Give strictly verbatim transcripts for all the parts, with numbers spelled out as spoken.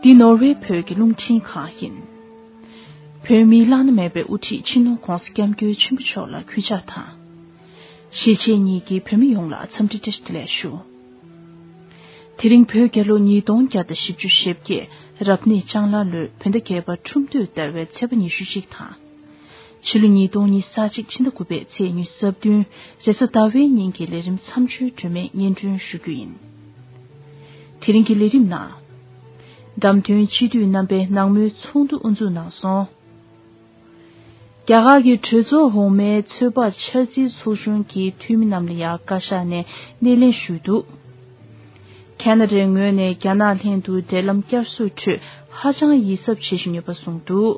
འདི་ནོར་ཝེ་བོད་ཀྱི་རླུང་འཕྲིན་ཁང་ཡིན། བོད་མིའི་བླ་ན་མེད་པའི་དབུ་ཁྲིད་སྤྱི་ནོར་༧གོང་ས་༧སྐྱབས་མགོན་ཆེན་པོ་མཆོག་ལ་གུས་ཕྱག་དང་། གཞིས་བྱེས་གཉིས་ཀྱི་བོད་མི་ཡོངས་ལ་འཚམས་འདྲི་བཀྲ་ཤིས་བདེ་ལེགས་ཞུ། དེ་རིང་བོད་རྒྱལ་ལོ་ཉིས་སྟོང་བརྒྱ་དང་བཞི་བཅུ་ཞེ་བརྒྱད་རབ་གནས་ལྕང་ལ་ལོའི་བོད་ཟླ་བརྒྱད་པ་ཁྲུམས་སྟོད་ཟླ་བའི་ཚེས་པ་ཉི་ཤུ་གཅིག་དང་། ཕྱི་ལོ་ཉིས་སྟོང་ཉི་ཤུ་རྩ་གཅིག་ཕྱི་ཟླ་དགུ་པའི་ཚེས་ཉི་ཤུ་རྩ་བདུན་རེས་གཟའ་ཟླ་བའི་ཉིན་གྱི་ལས་རིམ་མཚམས་སྦྱོར་སྒྲོན་མེ་སྙན་སྒྲོན་ཞུ་རྒྱུ་ཡིན། དེ་རིང་གི་ལས་རིམ་ནང་། བདམས་ཐོན་སྤྱི་འཐུས་རྣམ་པས་ནང་མོལ་ཚོགས་འདུ་དབུ་འཛུགས་གནང་སོང་། རྒྱ་གར་གྱི་གྲོས་ཚོགས་འོག་མའི་ཚོད་དཔག་འཆར་རྩིས་ཚོགས་ཆུང་གི་འཐུས་མི་རྣམས་ལ་ཡང་བཀའ་ཤག་ནས་སྣེ་ལེན་ཞུས་འདུག་ཁ་ན་ཌའི་ངོས་ནས་རྒྱ་ནག་ལྷན་དུ་འབྲེལ་ལམ་བསྐྱར་གསོའི་ཁྲོད་ཧ་ཅང་ཡིད་གཟབ་བྱེད་བཞིན་ཡོད་པ་གསུངས་འདུག་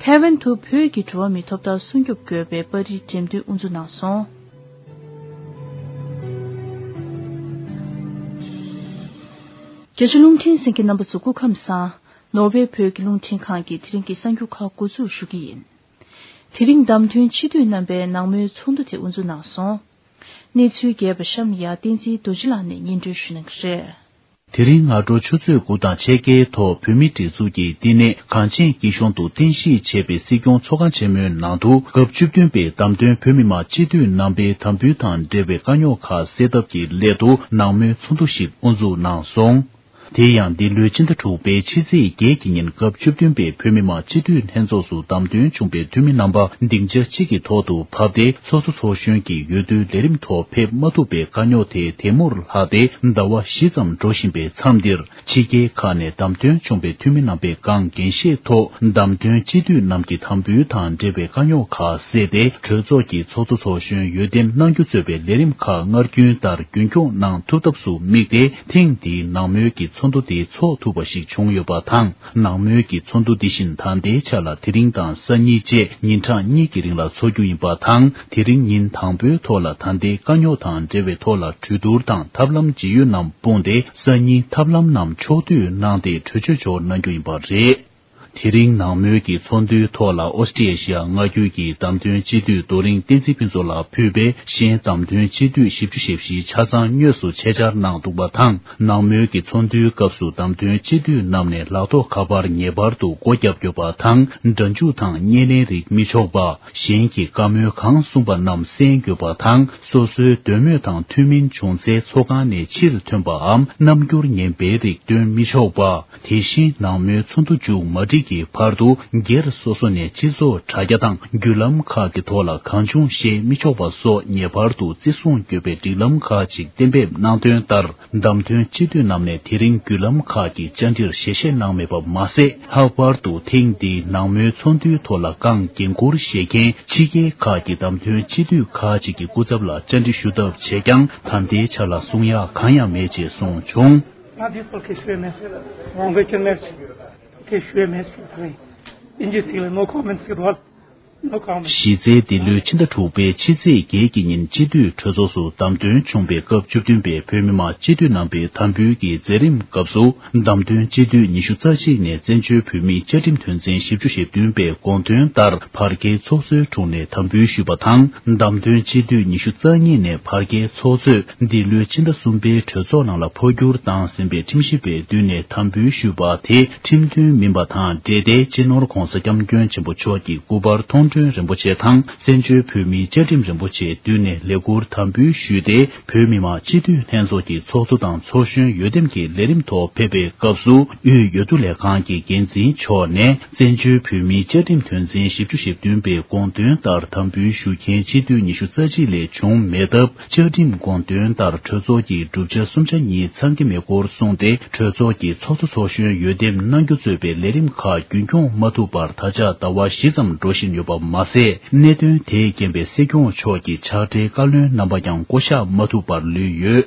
ཐའེ་ཝན་དུ་བོད་ཀྱི་འགྲོ་བ་མིའི་ཐོབ་ཐང་སྲུང་སྐྱོབ་དགོས་པའི་པར་རིས་འགྲེམས་སྟོན་དབུ་འཛུགས་གནང་སོང་། རྒྱ་ཆེ་རླུང་འཕྲིན་གསན་མཁན་རྣམ་པ་ཚོ་སྐུ་ཁམས་བཟང་། ནོར་ཝེ་བོད་ཀྱི་རླུང་འཕྲིན་ཁང་གིས་དེ་རིང་གི་གསར་འགྱུར་ཁག་འགོ་འཛུགས་ཞུ་གི་ཡིན། དེ་རིང་བདམས་ཐོན་སྤྱི་འཐུས་རྣམ་པའི་ནང་མོལ་ཚོགས་འདུ་དེ་དབུ་འཛུགས་གནང་སོང་། གནས་ཚུལ་རྒྱས་པ་གཤམ་ཡ་བསྟན་འཛིན་རྡོ་རྗེ་ལགས་ནས་སྙན་སྒྲོན་ཞུ་གནང་གི་རེད། དེ་རིང་སྔ་དྲོ་ཆུ་ཚོད་དགུ་དང་ཕྱེད་ཀའི་ཐོག་བོད་མིའི་སྒྲིག་འཛུགས་ཀྱི་བསྟི་གནས་གངས་ཅན་སྐྱིད་གཤོངས་དུ་རྟེན་གཞི་བྱས་པའི་སྲིད་སྐྱོང་ཚོགས་ཁང་ཆེན་མོའི་ནང་དུ་སྐབས་བཅུ་བདུན་པའི་བདམས་ཐོན་བོད་མི་མང་སྤྱི་འཐུས་རྣམ་པའི་དམ་འབུལ་དང་འབྲེལ་བའི་དཀའ་རྙོག་ཁག་སེལ་ཐབས་ཀྱི་སླད་དུ་ནང་མོལ་ཚོགས་འདུ་ཞིག་དབུ་འཛུགས་གནང་སོང་། དེ་ཡང་འདི་ལོའི་ཕྱི་ཟླ་དྲུག་པའི་ཕྱི་ཚེས་བརྒྱད་ཀྱི་ཉིན་སྐབས་བཅུ་བདུན་པའི་བོད་མི་མང་སྤྱི་འཐུས་ལྷན་ཚོགས་སུ་བདམས་ཐོན་བྱུང་བའི་འཐུས་མི་རྣམ་པ་སྡིངས་ཆ་གཅིག་གི་ཐོག་ཏུ་ཕབ་སྟེ་ཚོགས་གཙོ་ཚོགས་གཞོན་གྱི་འོས་བསྡུའི་ལས་རིམ་ཐོག་ཕེབས་མ་ཐུབ་པའི་དཀའ་རྙོག་དེ་དེ་མུར་ལྷག་སྟེ་ཟླ་བ་བཞི་ཙམ་འགྲོ་བཞིན་པའི་མཚམས་འདིར། ཕྱི་རྒྱལ་ཁག་ནས་བདམས་ཐོན་བྱུང་བའི་འཐུས་མི་རྣམ་པས་གང་འགན་བཞེས་ཐོག་བདམས་ཐོན་སྤྱི་འཐུས་རྣམས་ཀྱི་དམ་འབུལ་དང་འབྲེལ་བའི་དཀའ་རྙོག་ཁག་སེལ་ཏེ། གྲོས་ཚོགས་ཀྱི་ཚོགས་གཙོ་ཚོགས་གཞོན་འོས་འདེམས་གནང་རྒྱུ་གཙོས་པའི་ལས་རིམ་ཁག་སྔར་རྒྱུན་ལྟར་རྒྱུན་འཁྱོངས་གནང་ཐུབ་ཐབས་སུ་དམིགས་ཏེ། ཐེངས་འདིའི་ནང་མོལ་གྱི་ཚོགས་འདུ་དེ་འཚོགས་ཐུབ་པ་ཞིག་བྱུང་ཡོད་པ་དང་། ནང་མོལ་གྱི་ཚོགས་འདུ་འདི་བཞིན་ད་ལྟའི་ཆ་ལ་དེ་རིང་དང་སང་ཉིན་བཅས་ཉིན་གྲངས་གཉིས་ཀྱི་རིང་ལ་འཚོགས་རྒྱུ་ཡིན་པ་དང་། དེ་རིང་ཉིན་དང་པོའི་ཐོག་ལ་ད་ལྟའི་དཀའ་རྙོག་དང་འབྲེལ་བའི་ཐོག་ལ་གྲོས་བསྡུར་དང་ཐབས་ལམ་ཇི་ཡོད་རྣམས་སྤུངས་ཏེ། སང་ཉིན་ཐབས་ལམ་རྣམས་ཕྱོགས་བསྡུས་གནང་སྟེ་གྲོས་ཆོད་འཇོག་གནང་རྒྱུ་ཡིན་པ་རེད། དེ་རིང་ནང་མོལ་གྱི་ཚོགས་འདུའི་ཐོག་ལ་ཨོ་སི་ཀྲི་ཡ་ཤི་ཡ་མངའ་ཁུལ་གྱི་བདམས་ཐོན་སྤྱི་འཐུས་རྡོ་རིང་བསྟན་འཛིན་ཕུན་ཚོགས་ལགས་ཕུད་པའི་གཞན་བདམས་ཐོན་སྤྱི་འཐུས་བཞི་བཅུ་ཞེ་བཞི་ཆ་ཚང་དངོས་སུ་ཆེད་བཅར་གནང་འདུག་པ་དང་། ནང་མོལ་གྱི་ཚོགས་འདུའི་སྐབས་སུ་བདམས་ཐོན་སྤྱི་འཐུས་རྣམས་ནས་ལག་ཐོགས་ཁ་པར་ངེས་པར་དུ་སྒོ་བརྒྱབ་དགོས་པ་དང་། སྒྲ་འཇུག་དང་བརྙན་ལེན་རིགས་མི་ཆོག་པ། གཞན་གྱིས་བཀའ་མོལ་གང་གསུངས་པ་རྣམས་གསན་དགོས་པ་དང་། སོ་སོའི་འདོད་མོས་དང་མཐུན་མིན་བྱུང་ཚེ་ཚོགས་ཁང་ནས་ཕྱིར་ཐོན་པའམ་རྣམ་འགྱུར་ངན་པའི་རིགས་སྟོན་མི་ཆོག་པ། དེ་བཞིན་ནང་མོལ་ཚོགས་འདུ་མཇུག་མ་སྒྲིལ་གྱི་བར་དུ་སྒེར་སོ་སོ་ནས་སྤྱི་ཚོགས་དྲ་རྒྱ་དང་བརྒྱུད་ལམ་ཁག་གི་ཐོག་ལ་གང་བྱུང་བཤད་མི་ཆོག་པ་སོགས་ངེས་པར་དུ་བརྩི་སྲུང་དགོས་པའི་སྒྲིག་ལམ་ཁག་ཅིག་གཏན་འབེབས་གནང་དོན་ལྟར། བདམས་ཐོན་སྤྱི་འཐུས་རྣམས་ནས་དེ་རིང་བརྒྱུད་ལམ་ཁག་གི་བཅར་འདྲིར་ཞལ་བཞེས་གནང་མེད་པ་མ་ཟད། ལྷག་པར་དུ་ཐེངས་འདིའི་ནང་མོལ་ཚོགས་འདུའི་ཐོག་ལ་གང་འགན་འཁུར་བཞེས་མཁན་ཕྱི་རྒྱལ་ཁག་གི་བདམས་ཐོན་སྤྱི་འཐུས་ཁག་ཅིག་གི་སྐུ་ཚབ་ལ་བཅར་འདྲི་ཞུ་ཐབས་བྱས་ཀྱང་ད་ལྟའི་ཆ་ལ་གསུང་ཡག་གང་ཡང་མེད་ཅེས་གསུངས་བྱུང་། ང་འདི་ཚོ་སྐད་ཞུ་ཡ་མེད་ཟེར། ངོ་རྒོལ་གྱི་མེད་ཟེར། སྐད་ཞུ་ཡ་མེད་ཟེར། ད་ངས་དབྱིན་ཇིའི་ཚིག་ལ་no comment ཟེར་བ། No comment. གཞི་རྩའི་འདི་ལོའི་ཕྱི་ཟླ་དྲུག་པའི་ཕྱི་ཚེས་བརྒྱད་ཀྱི་ཉིན་སྤྱི་འཐུས་གྲོས་ཚོགས་སུ་བདམས་ཐོན་བྱུང་བའི་སྐབས་བཅུ་བདུན་པའི་བོད་མི་མང་སྤྱི་འཐུས་རྣམ་པའི་དམ་འབུལ་གྱི་མཛད་རིམ་སྐབས་སུ། བདམས་ཐོན་སྤྱི་འཐུས་ཉི་ཤུ་རྩ་གཅིག་ནས་བཙན་བྱོལ་བོད་མིའི་བཅའ་ཁྲིམས་དོན་ཚན་བཞི་བཅུ་ཞེ་བདུན་པའི་དགོངས་དོན་ལྟར་བར་བརྒལ་ཚོགས་གཙོའི་དྲུང་ནས་དམ་འབུལ་ཞུས་པ་དང་། བདམས་ཐོན་སྤྱི་འཐུས་ཉི་ཤུ་རྩ་གཉིས་ནས་བར་བརྒལ་ཚོགས་གཙོས་འདི་ལོའི་ཕྱི་ཟླ་གསུམ་པའི་གྲོས་ཚོགས་ནང་ལ་འཕོ་འགྱུར་བཏང་ཟིན་པའི་ཁྲིམས་ཞིབ་པའི་མདུན་ནས་དམ་འབུལ་ཞུས་པ་དེ་ཁྲིམས་མཐུན་མིན་པ་དང་འབྲེལ་ཏེ། སྤྱི་ནོར་༧གོང་ས་༧སྐྱབས་མགོན་ཆེན་པོ་མཆོག་གི་སྐུ་པར་མཐོང་གྲོལ་རིན་པོ་ཆེ་དང་བཙན་བྱོལ་བོད་མིའི་བཅའ་ཁྲིམས་རིན་པོ་ཆེའི་མདུན་ནས་ལས་འཁུར་དམ་འབུལ་ཞུས་ཏེ། བོད་མི་མང་སྤྱི་འཐུས་ལྷན་ཚོགས་ཀྱི་ཚོགས་གཙོ་དང་ཚོགས་གཞོན་འོས་འདེམས་ཀྱི་ལས་རིམ་ཐོག་ཕེབས་པའི་སྐབས་སུ། དབུས་འོས་བསྡུ་ལས་ཁང་གི་འགན་འཛིན་མཆོག་ནས། བཙན་བྱོལ་བོད་མིའི་བཅའ་ཁྲིམས་དོན་ཚན་བཞི་བཅུ་ཞེ་བདུན་པའི་དགོངས་དོན་ལྟར་དམ་འབུལ་ཞུ་མཁན་སྤྱི་འཐུས་ཉི་ཤུ་རྩ་གཅིག་ལས་བྱུང་མེད་སྟབས། བཅའ་ཁྲིམས་དགོངས་དོན་ལྟར་གྲོས་ཚོགས་ཀྱི་གྲུབ་ཆ་གསུམ་ཆ་གཉིས་ཚང་གི་མེད་སྐོར་གསུངས་ཏེ། གྲོས་ཚོགས་ཀྱི་ཚོགས་གཙོ་ཚོགས་གཞོན་འོས་འདེམས་གནང་རྒྱུ་གཙོས་པའི་ལས་རིམ་ཁག་རྒྱུན་འཁྱོངས་མ་ཐུབ་པར་ད་ཆ་ཟླ་བ་བཞི་ཙམ་འགྲོ་བཞིན་ཡོད་པ་མ་ཟད། གནད་དོན་དེས་རྐྱེན་པས་སྲིད་སྐྱོང་མཆོག་གི་ཕྱག་སྦྲེལ་བཀའ་བློན་རྣམ་པ་ཀྱང་བསྐོ་གཞག་མ་ཐུབ་པར་ལུས་ཡོད།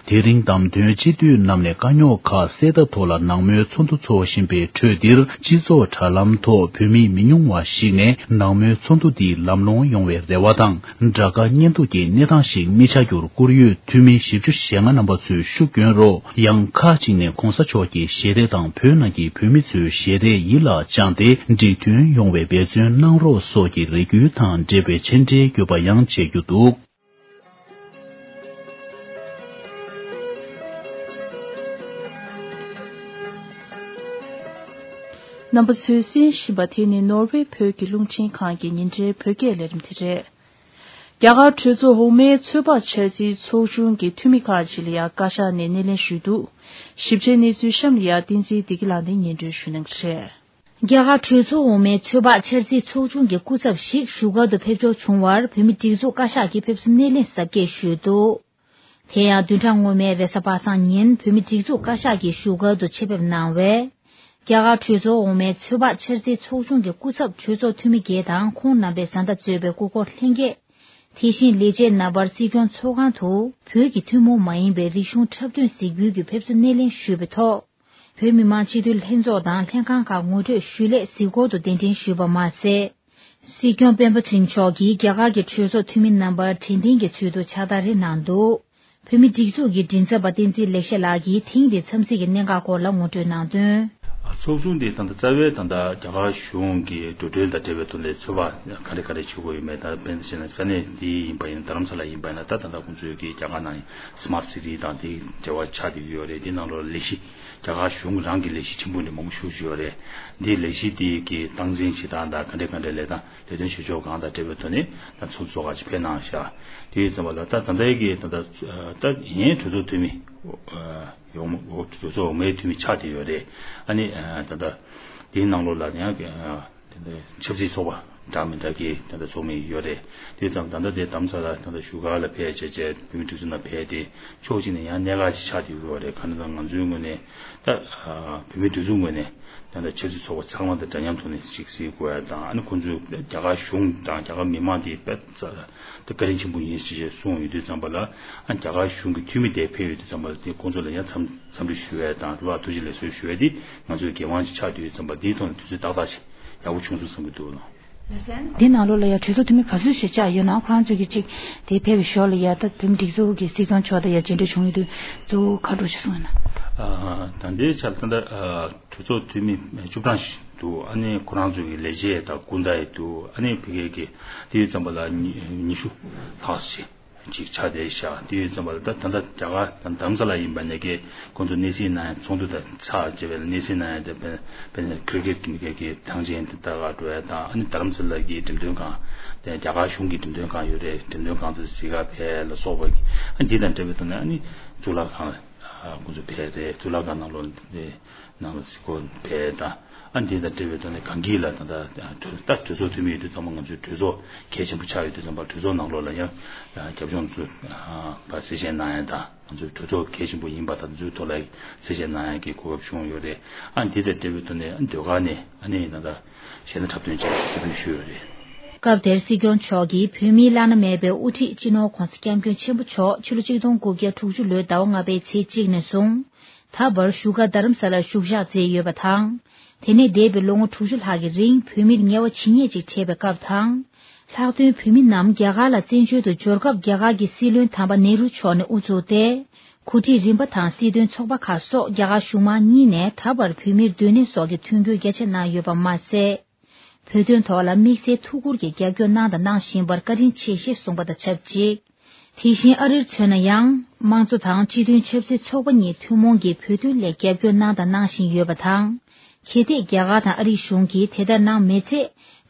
དེ་རིང་བདམས་ཐོན་སྤྱི་འཐུས་རྣམས་ནས་དཀའ་རྙོག་ཁག་སེལ་ཐབས་ཐོག་ལ་ནང་མོལ་ཚོགས་འདུ་འཚོགས་བཞིན་པའི་ཁྲོད་འདིར། སྤྱི་ཚོགས་དྲ་ལམ་ཐོག་བོད་མི་མི་ཉུང་བ་ཞིག་ནས་ནང་མོལ་ཚོགས་འདུ་འདི་ལམ་ལྷོང་ཡོང་བའི་རེ་བ་དང་། དགྲ་དགའ་གཉེན་སྡུག་གི་གནས་སྟངས་ཤིག་མི་ཆགས་རྒྱུར་བཀུར་འོས་འཐུས་མི་བཞི་བཅུ་ཞེ་ལྔ་རྣམ་པ་ཚོས་ཤུགས་བསྐྱོན་རོགས། ཡང་ཁག་ཅིག་ནས་གོང་ས་མཆོག་གི་ཞལ་རས་དང་བོད་ནང་གི་བོད་མི་ཚོའི་ཞལ་རས་ཡིད་ལ་བཅངས་ཏེ། འགྲིག་མཐུན་ཡོང་བའི་འབད་བརྩོན་གནང་རོགས་སོགས་ཀྱི་རེ་སྐུལ་དང་འབྲེལ་བའི་མཆན་འགྲེལ་བཀོད་པ་ཡང་བྱེད་རྒྱུ་འདུག། རྣམ་པ་ཚོས་གསན་བཞིན་པ་དེ་ནི་ནོར་ཝེ་བོད་ཀྱི་རླུང་འཕྲིན་ཁང་གི་ཉིན་རེའི་བོད་སྐད་ལས་རིམ་དེ་རེད། རྒྱ་གར་གྲོས་ཚོགས་འོག་མའི་ཚོད་དཔག་འཆར་རྩིས་ཚོགས་ཆུང་གི་འཐུས་མི་ཁག་ཅིག་ལ་ཡང་བཀའ་ཤག་ནས་སྣེ་ལེན་ཞུས་འདུག། ཞིབ་ཆའི་གནས་ཚུལ་གཤམ་ལ་ཡང་བསྟན་འཛིན་བདེ་སྐྱིད་ལགས་ནས་སྙན་སྒྲོན་ཞུ་གནང་གི་རེད། རྒྱ་གར་གྲོས་ཚོགས་འོག་མའི་ཚོད་དཔག་འཆར་རྩིས་ཚོགས་ཆུང་གི་སྐུ་ཚབ་ཞིག་བཞུགས་སྒར་དུ་ཕེབས་འབྱོར་བྱུང་བར་བོད་མིའི་སྒྲིག་འཛུགས་བཀའ་ཤག་གིས་ཕེབས་བསུ་སྣེ་ལེན་གཟབ་རྒྱས་ཞུས་འདུག། དེ་ཡང་བདུན་ཕྲག་སྔོན་མའི་རེས་གཟའ་པ་སངས་ཉིན་བོད་མིའི་སྒྲིག་འཛུགས་བཀའ་ཤག་གིས་བཞུགས་སྒར་དུ་ཆེད་ཕེབས་གནང་བས། རྒྱ་གར་གྲོས་ཚོགས་འོག་མའི་ཚོད་དཔག་འཆར་རྩིས་ཚོགས་ཆུང་གི་སྐུ་ཚབ་གྲོས་ཚོགས་འཐུས་མི་བརྒྱད་དང་ཁོང་རྣམ་པའི་བཟའ་ཟླ་གཙོས་པའི་སྐུ་འཁོར་ལྷན་རྒྱས། དེ་བཞིན་ལས་བྱེད་རྣམ་པར་སྲིད་སྐྱོང་ཚོགས་ཁང་དུ་བོད་ཀྱི་ཐུན་མོང་མ་ཡིན་པའི་རིག་གཞུང་འཁྲབ་སྟོན་གཟིགས་འབུལ་གྱི་ཕེབས་བསུ་སྣེ་ལེན་ཞུས་པའི་ཐོག། བོད་མི་མང་སྤྱི་འཐུས་ལྷན་ཚོགས་དང་ལྷན་ཁང་ཁག་ངོ་སྤྲོད་ཞུ་སླད་གཟིགས་སྐོར་དུ་གདན་འདྲེན་ཞུས་པ་མ་ཟད། སྲིད་སྐྱོང་སྤེན་པ་ཚེ་རིང་མཆོག་གིས་རྒྱ་གར་གྱི་གྲོས་ཚོགས་འཐུས་མི་རྣམ་པར་དྲན་རྟེན་གྱི་ཚུལ་དུ་ཕྱག་རྟགས་རེ་གནང་འདུག། བོད་མིའི་སྒྲིག་འཛུགས་ཀྱི་མགྲིན་ཚབ་པ་བསྟན་འཛིན་ལེགས་བཤད་ལགས་ཀྱིས་ཐེངས་འདིའི་འཚམས་གཟིགས་ཀྱི་གནད་འགག་སྐོར་ལ་ངོ་སྤྲོད་གནང་དོན། ཚོགས་ཆུང་འདི་ད་ལྟ་རྩ་བའི་ད་ལྟ་རྒྱ་གར་གཞུང་གི་འགྲོ་གྲོན་དང་འབྲེལ་བའི་ཐོག་ནས་ཚོད་དཔག་ག་རེ་ག་རེ་བྱེད་དགོས་ཡོད་མེད། ད་དཔེར་ན་བྱས་ན་ས་གནས་འདི་ཡིན་པ་ཡིན་ན་རྡ་རམ་ས་ལ་ཡིན་པ་ཡིན་ན་ད་ད་ལྟ་ཁོང་ཚོས་ཀྱི་རྒྱ་གར་ནང་སི་མཱཊ་སི་ཊི་དང་དེའི་འབྲེལ་བ་ཆགས་བསྡད་ཀྱི་ཡོད་རེད། དེ་ནང་ལོགས་ལས་གཞི་རྒྱ་གར་གཞུང་རང་གི་ལས་གཞི་ཆེན་པོ་ནས་མང་པོ་ཞེ་པོ་ཅིག་ཡོད་རེད། འདི་ལས་གཞི་དེ་གི་སྟངས་འཛིན་བྱེད་སྟངས་དང་ག་འདྲ་ག་འདྲ་ལས་སྟངས་ལས་དོན་བྱེད་ཕྱོགས་སྒང་དང་འབྲེལ་བའི་ཐོག་ནས་ད་ཚོགས་གཙོ་ཁག་ཅིག་ཕེབས་གནང་ཤག། དེ་ཡིན་ཙམ་པ་ལ་ད་ད་ལྟའི་གི་ད་ལྟ་ད་ཡིན་གྲོས་ཚོགས་འཐུས་མི་ཡོང་གྲོས་ཚོགས་འོག་མའི་འཐུས་མི་ཆགས་བསྡད་ཡོད་རེད། ཨ་ནི་ད་ལྟ་དེའི་ནང་ལོགས་ལ་ཡང་དེ་འདྲའི་ཆབ་སྲིད་ཚོགས་པ་འདྲ་མི་འདྲ་གི་དེ་འདྲ་ཚོགས་མི་ཡོད་རེད། དེ་ཙམ་ད་ལྟ་དེ་རྡ་རམ་ས་ལ་ད་ལྟ་བཞུགས་སྒར་ལ་ཕེབས་བྱས་བྱས་བོད་མི་སྒྲིག་འཛུགས་ནང་ཕེབས་ཏེ་ཕྱོགས་གཅིག་ནས་ཡང་གནད་འགག་ཅིག་ཆགས་བསྡད་ཡོད་རེད། གང་ལྟར་ང་ཚོའི་ངོས་ནས་ད་བོད་མི་སྒྲིག་འཛུགས་ངོས་ནས་ད་ལྟ་ཆབ་སྲིད་ཚོགས་པ་ཚང་མ་དང་འདྲ་མཉམ་ཐོག་ནས་ཅིག་གཟིགས་དགོས་ཡ་དང་། ཨ་ནི་ཁོང་ཚོས་རྒྱ་གར་གཞུང་དང་རྒྱ་གར་མི་མང་དེ་དཔེ་ད་བཀའ་དྲིན་ཆེན་པོ་ཡིན་ཞེས་གསུངས་ཡོད་དུས་ཙམ་པ་ལ། ཨ་རྒྱ་གར་གཞུང་གི་འཐུས་མི་དེ་ཕེབས་ཡོད་དུས་ཙམ་པ་ལ་དེ་ཁོང་ཚོ་ལ་ཡང་འཚམས་འཚམས་འདྲི་ཞུ་ཡས་དང་རེ་བ་ཐུགས་རྗེ་ལེགས་གསོལ་ཞུ་ཡས་དེ་ང་ཚོའི་འགན་དབང་ཞིག་ཆགས་ཡོད་ཙམ་པ་འདིའི་ཐོག་ནས་དུས་ཚོད་ཏག་ཏག་ཞིག་ཡག་པོ་བྱུང་སོང་བསམ་གྱི་འདུག་ལགས། འདི་ནང་ལོགས་ལ་ཡང་གྲོས་ཚོགས་འཐུས་མི་ག་ཚོད་ཞིག་བཅར་ཡོད་ན། ཁོ་རང་ཚོས་ཀྱི་གཅིག་དེ་ཕེབས་པའི་ཞོར་ལ་ཡང་ད་བོད་མི་སྒྲིག་འཛུགས་ཀྱི་སྲིད་སྐྱོང་མཆོག་དང་ཡང་མཇལ་འཕྲད་བྱུང་ཡོད་དུས་གཙོ་བོ་ག་འདྲ་ཞིག་གསུངས་ཡོད་ན། ཨ་ད་ལྟའི་ཆར་ད་ལྟ་ཨ་གྲོས་ཚོགས་འཐུས་མི་བཅུ་གྲངས་ཤིག་འདུག། ཨ་ནི་ཁོ་རང་ཚོ་གི་ལས་བྱེད་དང་སྐུ་ཟླ་ཡི་འདུག། ཨ་ནི་ཕ་གི་གི་དེ་ཡོད་ཙམ་པ་ལ་ཉི་ཉི་ཤུ་ལྷག་ཅིག་ཅིག་ཆགས་བསྡད་ཤག། དེ་ཡོད་ཙམ་པ་ལ་ད་ད་ལྟ་རྒྱ་གར་ད་རྡ་རམ་ས་ལ་ཡིན་པ་ནས་ཀྱི་ཁོང་ཚོ་གནས་ཚུལ་གནང་ཡ་ཚོགས་འདུ་དང་ཚར་རྗེས་པའི་གནས་ཚུལ་གནང་ཡ་དེ་དཔེར་དཔེར་ན་ཁི་རི་ཀེ་ཊི་གི་གི་ཐང་ཆེན་དེ་ལྟ་ག་འགྲོ་ཡ་དང་། ཨ་ནི་རྡ་རམ་ས་ལ་གི་འགྲེམས་སྟོན་ཁང་དེ་རྒྱ་གར་གཞུང་གི་འགྲེམས་སྟོན་ཁང་ཡོད་རེད། འགྲེམས་སྟོན་ཁང་དུ་གཟིགས་ག་ཕེབས་ལ་སོགས་པ་ཨ་འདི་དང་འབྲེལ་བའི་ཐོག་ནས་ཨ་ནི་གཙུག་ལག་ཁང་ཁོང་ཚོ་ཕེབས་རེད། གཙུག་ལག་ཁང་ནང་ལོགས་དེ། ནང་ལ་གཟིགས་སྐོར་ཕེབས་དང་། ཨ་འདི་དང་འབྲེལ་བའི་ཐོག་ནས་གངས་སྐྱིད་ལ་ད་ལྟ་གྲོས་ད་གྲོས་ཚོགས་འཐུས་མི་ཡོད་དུས་ཙམ་པ་ང་ཚོའི་གྲོས་ཚོགས་གལ་ཆེན་པོ་ཆགས་ཡོད་དུས་ཙམ་པ་གྲོས་ཚོགས་ནང་ལོགས་ལ་ཡང་རྒྱབ་ལྗོངས་ཚོ་བ་གསལ་བཤད་གནང་ཡ་དང་། ང་ཚོའི་གྲོས་ཚོགས་གལ་ཆེན་པོ་ཡིན་པ་དང་ཚོའི་ཐོག་ལ་གསལ་བཤད་གནང་ཡ་གི་གོ་སྐབས་བྱུང་ཡོད་རེད། ཨ་འདི་དང་འབྲེལ་བའི་ཐོག་ནས་ཨ་ཟློས་གར་ནས་ཨ་ནི་ད་ལྟ་གཞས་སྣ་འཁྲབ་སྟོན་བྱས་གསོལ་སྟོན་ཞུས་ཡོད་རེད། སྐབས་དེར་སྲིད་སྐྱོང་མཆོག་གིས་བོད་མིའི་བླ་ན་མེད་པའི་དབུ་ཁྲིད་སྤྱི་ནོར་༧གོང་ས་༧སྐྱབས་མགོན་ཆེན་པོ་མཆོག་ཕྱི་ལོ་ཆིག་སྟོང་དགུ་བརྒྱ་དྲུག་ཅུ་ལོའི་ཟླ་བ་ལྔ་པའི་ཚེས་གཅིག་ནས་བཟུང་། ད་བར་བཞུགས་སྒར་རྡ་རམ་ས་ལར་བཞུགས་ཞག་མཛད་ཡོད་པ་དང་། དེ་ནས་འདས་པའི་ལོ་ངོ་དྲུག་ཅུ་ལྷག་གི་རིང་བོད་མིར་ངལ་བ་ཇི་སྙེད་ཅིག་འཕྲད་པའི་སྐབས་དང་། ལྷག་དོན་བོད་མི་རྣམས་རྒྱ་གར་ལ་བཙན་བྱོལ་དུ་འབྱོར་སྐབས་རྒྱ་གར་གྱི་སྲིད་བློན་དམ་པ་ནེ་རུ་མཆོག་ནས་དབུ་བཙུགས་ཏེ། གོ་སྒྲིག་རིམ་པ་དང་སྲིད་དོན་ཚོགས་པ་ཁག་སོགས་རྒྱ་གར་གཞུང་མང་གཉིས་ནས་ད་བར་བོད་མིར་སྡོད་གནས་སོགས་ཀྱི་མཐུན་འགྱུར་རྒྱ་ཆེ་གནང་ཡོད་པ་མ་ཟད། བོད་དོན་ཐོག་ལ་དམིགས་བསལ་ཐུགས་ཁུར་གྱིས་རྒྱབ་སྐྱོར་གནང་དང་གནང་བཞིན་པར་བཀའ་དྲིན་ཆེ་ཞེས་གསུངས་པ་དང་ཆབས་ཅིག། དེ་བཞིན་ཨ་རིར་མཚོན་ན་ཡང་དམངས་གཙོ་དང་སྤྱི་མཐུན་ཆབ་སྲིད་ཚོགས་པ་གཉིས་ཐུན་མོང་གིས་བོད་དོན་སླད་རྒྱབ་སྐྱོར་གནང་དང་གནང་བཞིན་ཡོད་པ་དང་། གལ་ཏེ་རྒྱ་གར་དང་ཨ་རིའི་གཞུང་གིས་དེ་ལྟར་གནང་མེད་ཚེ།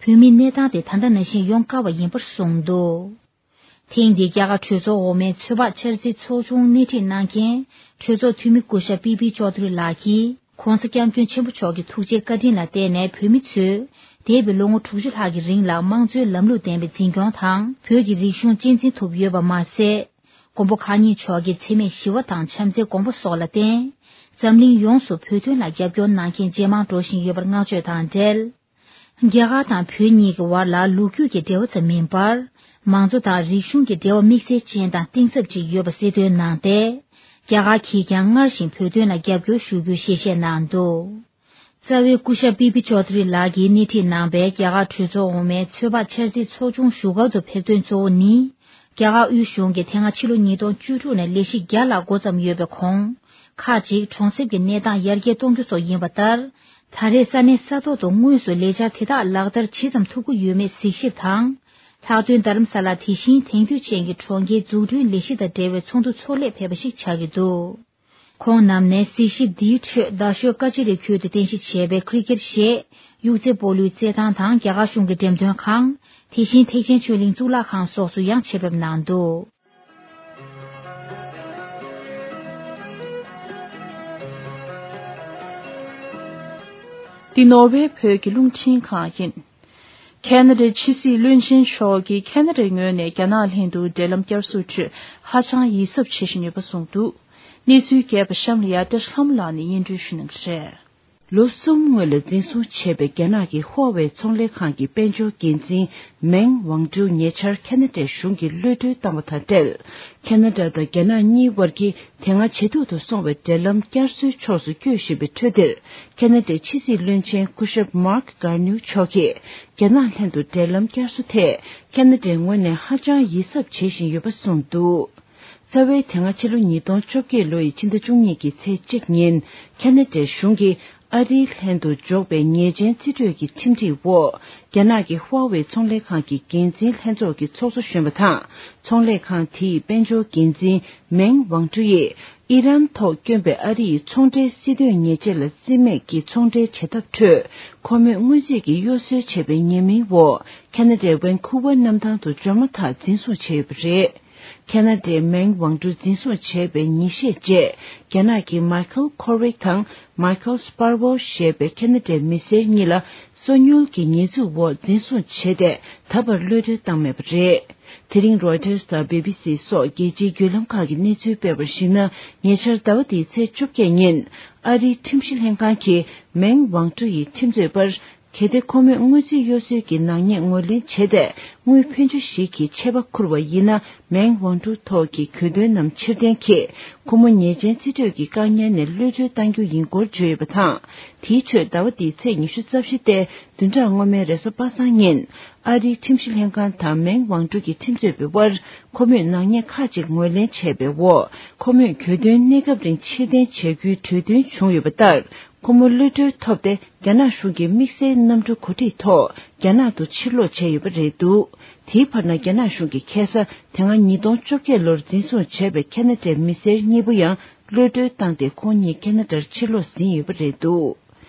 བོད་མིའི་གནས་སྟངས་དེ་ད་ལྟ་ནང་བཞིན་ཡོང་དཀའ་བ་ཡིན་པར་གསུངས་འདུག། ཐེངས་འདིའི་རྒྱ་གར་གྲོས་ཚོགས་འོག་མའི་ཚོད་དཔག་འཆར་རྩིས་ཚོགས་ཆུང་སྣེ་ཁྲིད་གནང་མཁན་གྲོས་ཚོགས་འཐུས་མི་སྐུ་ཞབས་པི་པི་ཅོ་དྷུ་རི་ལགས་ཀྱིས། �ྋགོང་ས་༧སྐྱབས་མགོན་ཆེན་པོ་མཆོག་གི་ཐུགས་རྗེ་བཀའ་དྲིན་ལ་བརྟེན་ནས་བོད་མི་ཚོས་འདས་པའི་ལོ་ངོ་དྲུག་ཅུ་ལྷག་གི་རིང་ལ་དམངས་གཙོའི་ལམ་ལུགས་ལྡན་པའི་འཛིན་སྐྱོང་དང་བོད་ཀྱི་རིག་གཞུང་གཅེས་འཛིན་ཐུབ་ཡོད་པ་མ་ཟད། མགོན་པོ་གང་ཉིད་མཆོག་གི་འཚེ་མེད་ཞི་བ་དང་བྱམས་བརྩེའི་དགོངས་པ་སོགས་ལ་བརྟེན། འཛམ་གླིང་ཡོངས་སུ་བོད་དོན་ལ་རྒྱབ་སྐྱོར་གནང་མཁན་ཇེ་མང་འགྲོ་བཞིན་ཡོད་པར་བསྔགས་བརྗོད་དང་འབྲེལ། རྒྱ་གར་དང་བོད་གཉིས་ཀྱི་བར་ལ་ལོ་རྒྱུས་ཀྱི་འབྲེལ་བ་ཙམ་མིན་པར། མང་གཙོ་དང་རིག་གཞུང་གི་འབྲེལ་བ་དམིགས་བསལ་ཅན་དང་གཏིང་ཟབ་ཅིག་ཡོད་པ་གསལ་སྟོན་གནང་སྟེ། རྒྱ་གར་གྱིས་ཀྱང་སྔར་བཞིན་བོད་དོན་ལ་རྒྱབ་སྐྱོར་ཞུ་རྒྱུའི་ཞལ་བཞེས་གནང་འདུག། རྩ་བའི་སྐུ་ཞབས་པི་པི་ཅོ་དྷུ་རི་ལགས་ཀྱིས་སྣེ་ཁྲིད་གནང་པའི་རྒྱ་གར་གྲོས་ཚོགས་འོག་མའི་ཚོད་དཔག་འཆར་རྩིས་ཚོགས་ཆུང་བཞུགས་སྒར་དུ་ཕེབས་དོན་གཙོ་བོ་ནི། རྒྱ་གར་དབུས་གཞུང་གིས་དེ་སྔ་ཕྱི་ལོ་ཉིས་སྟོང་བཅུ་དྲུག་ནས་ལས་གཞི་བརྒྱ་ལྷག་འགོ་བརྩམས་ཡོད་པའི་གོང་། ཁག་ཅིག་གྲོང་གསེབ་ཀྱི་གནས་སྟངས་ཡར་རྒྱས་གཏོང་རྒྱུ་སོགས་ཡིན་པ་ལྟར། ད་རེས་ས་གནས་ས་ཐོག་ཏུ་དངོས་སུ་ལས་འཆར་དེ་དག་ལག་བསྟར་ཇི་ཙམ་ཐུབ་ཀྱི་ཡོད་མེད་གཟིགས་ཞིབ་དང་། ལྷག་དོན་རྡ་རམ་ས་ལ་དེ་བཞིན་དེང་དུས་ཅན་གྱི་གྲོང་ཁྱེར་འཛུགས་སྐྲུན་ལས་གཞི་དང་འབྲེལ་བའི་ཚོགས་འདུ་ཚོགས་སླད་ཕེབས་པ་ཞིག་ཆགས་ཀྱི་འདུག། ཁོང་རྣམས་ནས་གཟིགས་ཞིབ་འདིའི་ཁྲོད་རྡ་ཤོད་ཀ་ཅི་རི་ཁུལ་དུ་རྟེན་གཞི་བྱས་པའི་ཁྲི་ཀེད་གཞས། གཡུ་རྩེ་སྤོ་ལོའི་རྩེད་ཐང་དང་རྒྱ་གར་གཞུང་གི་འགྲེམས་སྟོན་ཁང་། དེ་བཞིན་ཐེག་ཆེན་ཆོས་གླིང་གཙུག་ལག་ཁང་སོགས་སུ་ཡང་ཆེད་ཕེབས་གནང་འདུག། འདི་ནོར་ཝེ་བོད་ཀྱི་རླུང་འཕྲིན་ཁང་ཡིན། ཁེ་ན་ཌའི་ཕྱི་སྲིད་བློན་ཆེན་མཆོག་གིས་ཁེ་ན་ཌའི་ངོས་ནས་རྒྱ་ནག་ལྷན་དུ་འབྲེལ་ལམ་བསྐྱར་གསོའི་ཁྲོད་ཧ་ཅང་ཡིད་གཟབ་བྱེད་བཞིན་ཡོད་པ་གསུངས་འདུག། གནས་ཚུལ་རྒྱས་པ་གཤམ་ལ་ཡ་བཀྲ་ཤིས་ལྷ་མོ་ལགས་ནས་སྙན་སྒྲོན་ཞུ་གནང་གི་རེད། ལོ་གསུམ་སྔོན་ལ་འཛིན་བཟུང་བྱས་པའི་རྒྱ་ནག་གི་ཧྭ་ཝེ་ཚོང་ལས་ཁང་གི་དཔལ་འབྱོར་འགན་འཛིན་མེང་ཝང་ཀྲུའུ་ཉེ་ཆར་ཁེ་ན་ཌའི་གཞུང་གིས་གློད་གྲོལ་བཏང་བ་དང་འབྲེལ། ཁེ་ན་ཌ་དང་རྒྱ་ནག་གཉིས་དབར་གྱི་དེ་སྔ་ཇེ་སྡུག་ཏུ་སོང་བའི་འབྲེལ་ལམ་བསྐྱར་གསོའི་ཕྱོགས་སུ་བསྐྱོད་བཞིན་པའི་ཁྲོད་འདིར། ཁེ་ན་ཌའི་ཕྱི་སྲིད་བློན་ཆེན་སྐུ་ཞབས་མཱརྐ་གྷར་ནིའུ་མཆོག་གིས་རྒྱ་ནག་ལྷན་དུ་འབྲེལ་ལམ་བསྐྱར་གསོ་ཐད་ཁེ་ན་ཌའི་ངོས་ནས་ཧ་ཅང་ཡིད་གཟབ་བྱེད་བཞིན་ཡོད་པ་གསུངས་འདུག། རྩ་བའི་དེ་སྔ་ཕྱི་ལོ་ཉིས་སྟོང་བཅོ་བརྒྱད་ལོ་ཡི་ཕྱི་ཟླ་བཅུ་གཉིས་ཀྱི་ཚེས་གཅིག་ཉིན་ཁེ་ན་ཌའི་གཞུང་གིས་ཨ་རིའི་ལྷན་དུ་འཇོག་པའི་ཉེས་ཅན་རྩིས་སྤྲོད་ཀྱི་ཁྲིམས་སྒྲིག་འོག་རྒྱ་ནག་གི་ཧྭ་ཝེ་ཚོང་ལས་ཁང་གི་འགན་འཛིན་ལྷན་ཚོགས་ཀྱི་ཚོགས་གཙོ་གཞོན་པ་དང་། ཚོང་ལས་ཁང་དེའི་དཔལ་འབྱོར་འགན་འཛིན་མེང་ཝང་ཀྲུའུ་ཡིས་ཨི་རན་ཐོག་བསྐྱོན་པའི་ཨ་རི་ཡི་ཚོང་འབྲེལ་སྲིད་དོན་ཉེས་ཆད་ལ་རྩིས་མེད་ཀྱི་ཚོང་འབྲེལ་བྱེད་ཐབས་ཁྲོད། ཁོ་མོས་དངུལ་རྩིས་ཀྱི་གཡོ་ཟོལ་བྱས་པའི་ཉེས་མིང་འོག་ཁེ་ན་ཌའི་ཝན་ཁུ་ཝར་གནམ་ཐང་དུ་འབྱོར་མ་ཐག་འཛིན་བཟུང་བྱས་ཡོད་པ་རེད། ཁེ་ན་ཌའི་མེང་ཝང་ཀྲུའུ་འཛིན་བཟུང་བྱས་པའི་ཉིན་ཤས་རྗེས། རྒྱ་ནག་གི་མའི་ཁལ་ཁོ་རིག་དང་མའི་ཁལ་སྤར་ཝོ་ཞེས་པའི་ཁེ་ན་ཌའི་མི་སེར་གཉིས་ལ་སོ་ཉུལ་གྱི་ཉེས་འཛུགས་འོག་འཛིན་བཟུང་བྱས་ཏེ། ད་བར་གློད་གྲོལ་བཏང་མེད་པ་རེད། དེ་རིང་རོའི་ཊར་དང་བི་བི་སི་སོགས་རྒྱལ་སྤྱིའི་བརྒྱུད་ལམ་ཁག་གིས་གནས་ཚུལ་སྤེལ་བར་གཞིགས་ན། ཉེ་ཆར་ཟླ་བ་འདིའི་ཚེས་བཅོ་བརྒྱད་ཉིན། ཨ་རིའི་ཁྲིམས་ཞིབ་ལྷན་ཁང་གིས་མེང་ཝང་ཀྲུའུ་ཡི་ཁྲིམས་རྩོད་པར། གལ་ཏེ་ཁོ་མོས་དངུལ་རྩིས་གཡོ་ཟོལ་གྱི་ནག་ཉེས་ངོས་ལེན་བྱས་ཏེ། དངུལ་ཕོན་ཆུ་ཞིག་གི་ཆད་པ་འཁུར་བ་ཡིན་ན། མེང་ཝང་ཀྲུའུ་ཐོག་གི་གྱོད་དོན་རྣམས་ཕྱིར་འཐེན་གྱིས། ཁོ་མོ་ཉེས་ཅན་རྩིས་སྤྲོད་ཀྱི་བཀག་ཉར་ནས་གློད་གྲོལ་གཏང་རྒྱུ་ཡིན་སྐོར་བརྗོད་ཡོད་པ་དང་། དེའི་ཁྲོད་ཟླ་བ་འདིའི་ཚེས་ཉི་ཤུ་རྩ་བཞི་སྟེ། བདུན་ཕྲག་སྔོན་མའི་རེས་གཟའ་པ་སངས་ཉིན། ཨ་རིའི་ཁྲིམས་ཞིབ་ལྷན་ཁང་དང་མེང་ཝང་ཀྲུའུ་གྱི་ཁྲིམས་རྩོད་པའི་དབར། ཁོ་མོས་ནག་ཉེས་ཁག་ཅིག་ངོས་ལེན་བྱས་པའི་འོག་ཁོ་མོས་གྱོད་དོན་གནས་སྐབས་རིང་ཕྱིར་འཐེན་བྱ་རྒྱུའི་གྲོས་མཐུན་བྱུང་ཡོད་པ་ལྟར། ཁོ་མོ་གློད་གྲོལ་ཐོབ་སྟེ། རྒྱ་ནག་གཞུང་གིས་དམིགས་བསལ་གནམ་གྲུ་གོ་སྒྲིག་ཐོག་རྒྱ་ནག་ཏུ་ཕྱིར་ལོག་བྱས་ཡོད་པ་རེད་འདུག། དེའི་བར་ན། རྒྱ་ནག་གཞུང་གིས་ཁ་སང་དེ་སྔ་ཉིས་སྟོང་བཅོ་བརྒྱད་ལོར་འཛིན་བཟུང་བྱས་པའི་ཁེ་ན་ཌའི་མི་སེར་གཉིས་པོ་ཡང་གློད་གྲོལ་བཏང་སྟེ། ཁོང་གཉིས་ཁེ་ན་ཌར་ཕྱིར་ལོག་ཟིན་ཡོད་པ་རེད་འདུག།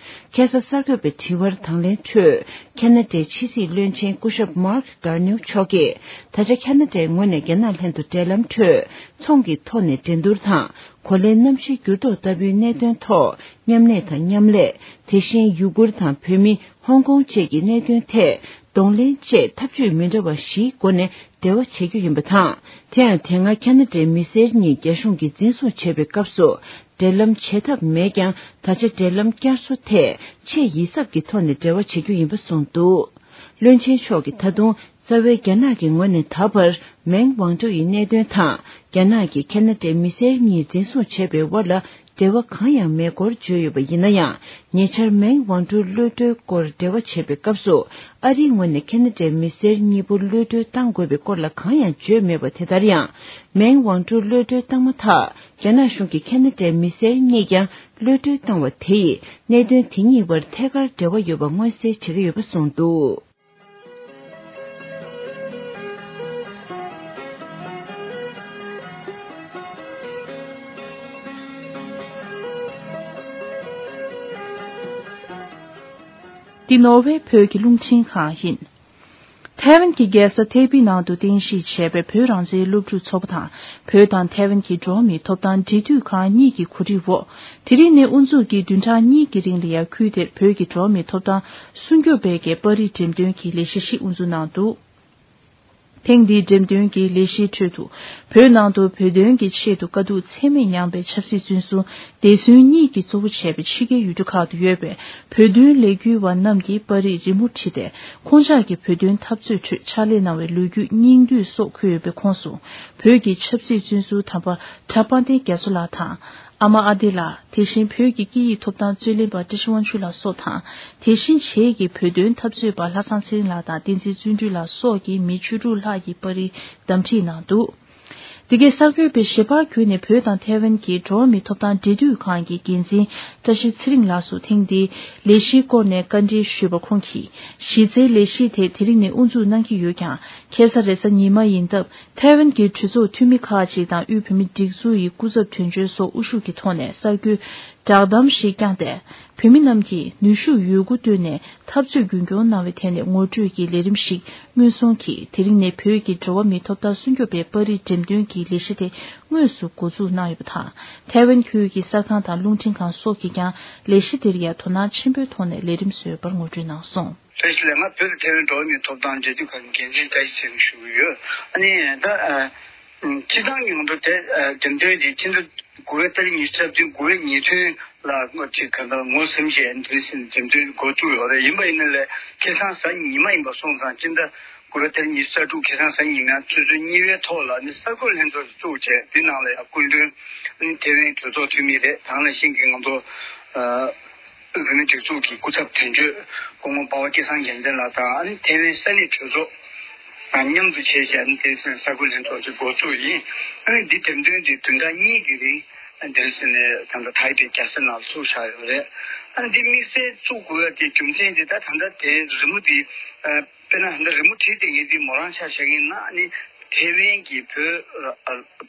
ཁ་སང་གསར་འགོད་པའི་དྲི་བར་དང་ལེན་ཁྲོད། ཁེ་ན་ཌའི་ཕྱི་སྲིད་བློན་ཆེན་སྐུ་ཞབས་མཱརྐ་གྷར་ནིའུ་མཆོག་གིས། ད་ཆ་ཁེ་ན་ཌའི་ངོས་ནས་རྒྱ་ནག་ལྷན་དུ་འབྲེལ་ལམ་ཁྲོད། ཚོང་གི་ཐོག་ནས་འགྲན་བསྡུར་དང་། གོ་ལའི་གནམ་གཤིས་འགྱུར་ལྡོག་ལྟ་བུའི་གནད་དོན་ཐོག་མཉམ་ལས་དང་མཉམ་ལས། དེ་བཞིན་ཡུ་གུར་དང་བོད་མི། ཧོང་ཀོང་བཅས་ཀྱི་གནད་དོན་ཐད། གདོང་ལེན་བཅས་འཐབ་ཇུས་མི་འདྲ་བ་བཞིའི་སྒོ་ནས་འབྲེལ་བ་བྱེད་རྒྱུ་ཡིན་པ་དང་། དེ་ཡང་དེ་སྔ་ཁེ་ན་ཌའི་མི་སེར་གཉིས་རྒྱ་གཞུང་གིས་འཛིན་བཟུང་བྱས་པའི་སྐབས་སུ། འབྲེལ་ལམ་བྱེད་ཐབས་མེད་ཀྱང་། ད་ཆ་འབྲེལ་ལམ་བསྐྱར་གསོ་ཐད་ཆེས་ཡིད་གཟབ་ཀྱི་ཐོག་ནས་འབྲེལ་བ་བྱེད་རྒྱུ་ཡིན་པ་གསུངས་འདུག། བློན་ཆེན་མཆོག་གིས་ད་དུང་། རྩ་བའི་རྒྱ་ནག་གི་ངོས་ནས་ད་བར་མེང་ཝང་ཀྲུའུ་ཡི་གནད་དོན་དང་། རྒྱ་ནག་གིས་ཁེ་ན་ཌའི་མི་སེར་གཉིས་འཛིན་བཟུང་བྱས་པའི་དབར་ལ་འབྲེལ་བ་གང་ཡང་མེད་སྐོར་བརྗོད་ཡོད་པ་ཡིན་ན་ཡང་། ཉེ་ཆར་མེང་ཝང་ཀྲུའུ་གློད་གྲོལ་སྐོར་འབྲེལ་བ་བྱས་པའི་སྐབས་སུ། ཨ་རིའི་ངོས་ནས་ཁེ་ན་ཌའི་མི་སེར་གཉིས་པོ་གློད་གྲོལ་གཏང་དགོས་པའི་སྐོར་ལ་གང་ཡང་བརྗོད་མེད་པ། དེ་ལྟར་ཡང་། མེང་ཝང་ཀྲུའུ་གློད་གྲོལ་བཏང་མ་ཐག་རྒྱ་ནག་གཞུང་གིས་ཁེ་ན་ཌའི་མི་སེར་གཉིས་ཀྱང་གློད་གྲོལ་བཏང་བ་དེ་ཡིས། གནད་དོན་དེ་གཉིས་བར་ཐད་ཀར་འབྲེལ་བ་ཡོད་པ་མངོན་གསལ་བྱེད་ཀྱི་ཡོད་པ་གསུངས་འདུག། འདི་ནོར་ཝེ་བོད་ཀྱི་རླུང་འཕྲིན་ཁང་ཡིན། ཐའེ་ཝན་གྱི་རྒྱལ་ས་ཐའེ་པེ་ནང་དུ་རྟེན་གཞི་བྱས་པའི་བོད་རང་བཙན་སློབ་ཕྲུག་ཚོགས་པ་དང་། བོད་དང་ཐའེ་ཝན་གྱི་འགྲོ་བ་མིའི་ཐོབ་ཐང་འབྲེལ་མཐུད་ཁང་གཉིས་ཀྱི་གོ་སྒྲིག་འོག་དེ་རིང་ནས་དབུ་འཛུགས་ཀྱིས་བདུན་ཕྲག་གཉིས་ཀྱི་རིང་ལ་ཡང་ཁུལ་དེར་བོད་ཀྱི་འགྲོ་བ་མིའི་ཐོབ་ཐང་སྲུང་སྐྱོབ་པའི་གི་པར་རིས་འགྲེམས་སྟོན་གྱི་ལས་གཞི་ཞིག་དབུ་འཛུགས་གནང་འདུག། ཐེངས་འདིའི་འགྲེམས་སྟོན་གྱི་ལས་གཞིའི་ཁྲོད་དུ། བོད་ནང་དུ་བོད་དོན་གྱི་ཆེད་དུ་དཀའ་སྡུག་ཚད་མེད་མྱངས་པའི་ཆབ་སྲིད་བཙོན་ཟུར་འདས་གསོན་གཉིས་ཀྱིས་གཙོ་བོ་བྱས་པའི་ཕྱི་རྒྱལ་ཡུལ་གྲུ་ཁག་ཏུ་ཡོད་པའི་བོད་དོན་ལས་འགུལ་བ་རྣམས་ཀྱིས་པར་རིས་རི་མོ་བྲིས་ཏེ། ཁོང་ཅག་གི་བོད་དོན་འཐབ་རྩོད་ཁྲོད་ཕྱག་ལས་གནང་བའི་ལོ་རྒྱུས་སྙིང་བསྡུས་སོགས་འཁོད་ཡོད་པའི་ཁོངས་སུ། བོད་ཀྱི་ཆབ་སྲིད་བཙོན་ཟུར་དམ་པ་གྲྭ་དཔལ་ལྡན་རྒྱ་མཚོ་ལགས་དང་། ཨ་མ་ཨ་བདེ་ལགས། དེ་བཞིན་བོད་ཀྱི་སྐད་ཡིག་ཐོབ་ཐང་རྩོད་ལེན་པ་བཀྲ་ཤིས་དབང་ཕྱུག་ལགས་སོགས་དང་། དེ་བཞིན་བྱེས་ཀྱི་བོད་དོན་འཐབ་རྩོད་པ་ལྷ་བཟང་ཚེ་རིང་ལགས་དང་བསྟན་འཛིན་བརྩོན་འགྲུས་ལགས་སོགས་ཀྱིས་མི་བཅུ་དྲུག་ལྷག་གི་པར་རིས་བདམས་ཁྲིད་གནང་འདུག། འདི་གའི་གསར་འགོད་པས་ཞལ་པར་བརྒྱུད་ནས་བོད་དང་ཐའེ་ཝན་གྱི་འགྲོ་བ་མིའི་ཐོབ་ཐང་འབྲེལ་མཐུད་ཁང་གི་འགན་འཛིན་བཀྲ་ཤིས་ཚེ་རིང་ལགས་སུ་ཐེངས་འདིའི་ལས་གཞིའི་སྐོར་ནས་བཀའ་འདྲི་ཞུས་པར། ཁོང་གིས་གཞི་རྩའི་ལས་གཞི་དེ་དེ་རིང་ནས་དབུ་འཛུགས་གནང་གི་ཡོད་ཀྱང་། ཁ་སང་རེས་གཟའ་ཉི་མ་ཡིན་སྟབས། ཐའེ་ཝན་གྱི་གྲོས་ཚོགས་འཐུས་མི་ཁག་ཅིག་དང་དབུས་བོད་མིའི་སྒྲིག་འཛུགས་ཀྱི་སྐུ་ཚབ་དོན་གཅོད་སོགས་དབུ་བཞུགས་ཀྱི་ཐོག་ནས་གསར་འགྱུར་བསྒྲགས་གཏམ་ཞིག་བསྐྱངས་ཏེ། བོད་མི་རྣམས་ཀྱིས་ནུས་ཤུགས་ཡོད་རྒུ་བཏོན་ནས་འཐབ་རྩོད་རྒྱུན་སྐྱོང་གནང་བའི་ཐད་ནས་ངོ་སྤྲོད་ཀྱི་ལས་རིམ་ཞིག་སྔོན་སོང་གིས་དེ་རིང་ནས་བོད་ཀྱི་འགྲོ་བ་མིའི་ཐོབ་ཐང་སྲུང་སྐྱོབ་པའི་པར་རིས་འགྲེམས་སྟོན་གྱི་ལས་གཞི་དེ་དངོས་སུ་འགོ་འཛུགས་གནང་ཡོད་པ་དང་། ཐའེ་ཝན་ཁུལ་གྱི་གསར་ཁང་དང་རླུང་འཕྲིན་ཁང་སོགས་ཀྱིས་ཀྱང་ལས་གཞི་དེར་ཡང་དོ་སྣང་ཆེན་པོའི་ཐོག་ནས་ལས་རིམ་བཟོས་པར་ངོ་སྤྲོད་གནང་སོང་། བཀྲ་ཤིས་ལགས། ང་བོད་དང་ཐའེ་ཝན་འགྲོ་བ་མིའི་ཐོབ་ཐང་འབྲེལ་མཐུད་ཁང་གི་འགན་འཛིན་བཀྲ་ཤིས་ཚེ་རིང་ཞུ་གི་ཡོད། ཨ་ནི་ད་ཨ། སྤྱིར་བཏང་གི་ང་ཚོ་དེ་ཨ། འགྲེམས་སྟོན་འདི་ཕྱི་ཟླ་དགུ་པའི་ཏ་རིག་ཉི་ཤུ་རྩ་བདུན་དགུ་པའི་ཉིས་སྟོང་ལ་ཅིག་ག་འདྲ་ངོ་སེམས་ཤེས་འདི་ཟིན་འགྲེམས་སྟོན་འགོ་བཙུགས་ཡོད་རེད། ཡིན་པ་ཡིན་ན་ལས་ཁ་སང་གཟའ་ཉི་མ་ཡིན་པ་སོང་ཙང་སྤྱི་ཟླ་དགུ་པའི་ཏ་རིག་ཉི་ཤུ་རྩ་དྲུག་ཁ་སང་གཟའ་ཉི་མ་ཆུ་ཚོད་གཉིས་པའི་ཐོག་ལ་ནི་གསར་འགོད་ལྷན་ཚོགས་ཤིག་བཙུགས་བྱས། འདི་ནང་ལ་ཡང་སྐུ་མགྲོན་ཨ་ནི་ཐའེ་ཝན་གྲོས་ཚོགས་འཐུས་མི་རེད། དེ་ནང་བཞིན་གྱི་ང་ཚོ་ཨ། དབུས་བོད་མིའི་སྒྲིག་འཛུགས་ཀྱི་སྐུ་ཚབ་དོན་གཅོད་སྐུ་ངོ་འབའ་བ་སྐལ་བཟང་རྒྱལ་མཚན་ལགས་དང་། ཨ་ནི་ཐའེ་ཝན་ས་གནས་གྲོས་ཚོགས་དང་མཉམ་དུ་བྱས་བྱས། ཨ་ནི་དེ་ཚོའི་གསར་འགོད་ལྷན་ཚོགས་ཅིག་འགོ་བཙུགས་ཡིན། ཨ་ནི་འདི་འགྲེམས་སྟོན་འདི་བདུན་ཕྲག་གཉིས་ཀྱི་རིང་དེ་ཚོ་ནས་ད་ལྟ་ཐའེ་པེ་རྒྱལ་ས་ནང་ཚུགས་བཞག་ཡོད་རེད། ཨ་ནི་འདི་དམིགས་བསལ་བཙུགས་དགོས་པ་དེ་རྒྱུ་མཚན་དེ་ད་ད་ལྟ་དེ་རི་མོ་འདི་ཨ། དཔེར་ན་ད་ལྟ་རི་མོ་བྲིས་བསྡད་མཁན་འདི་མོ་རང་ཆ་བཞག་མཁན་ན། ཨ་ནི་ཐའེ་ཝན་གྱི་བོད་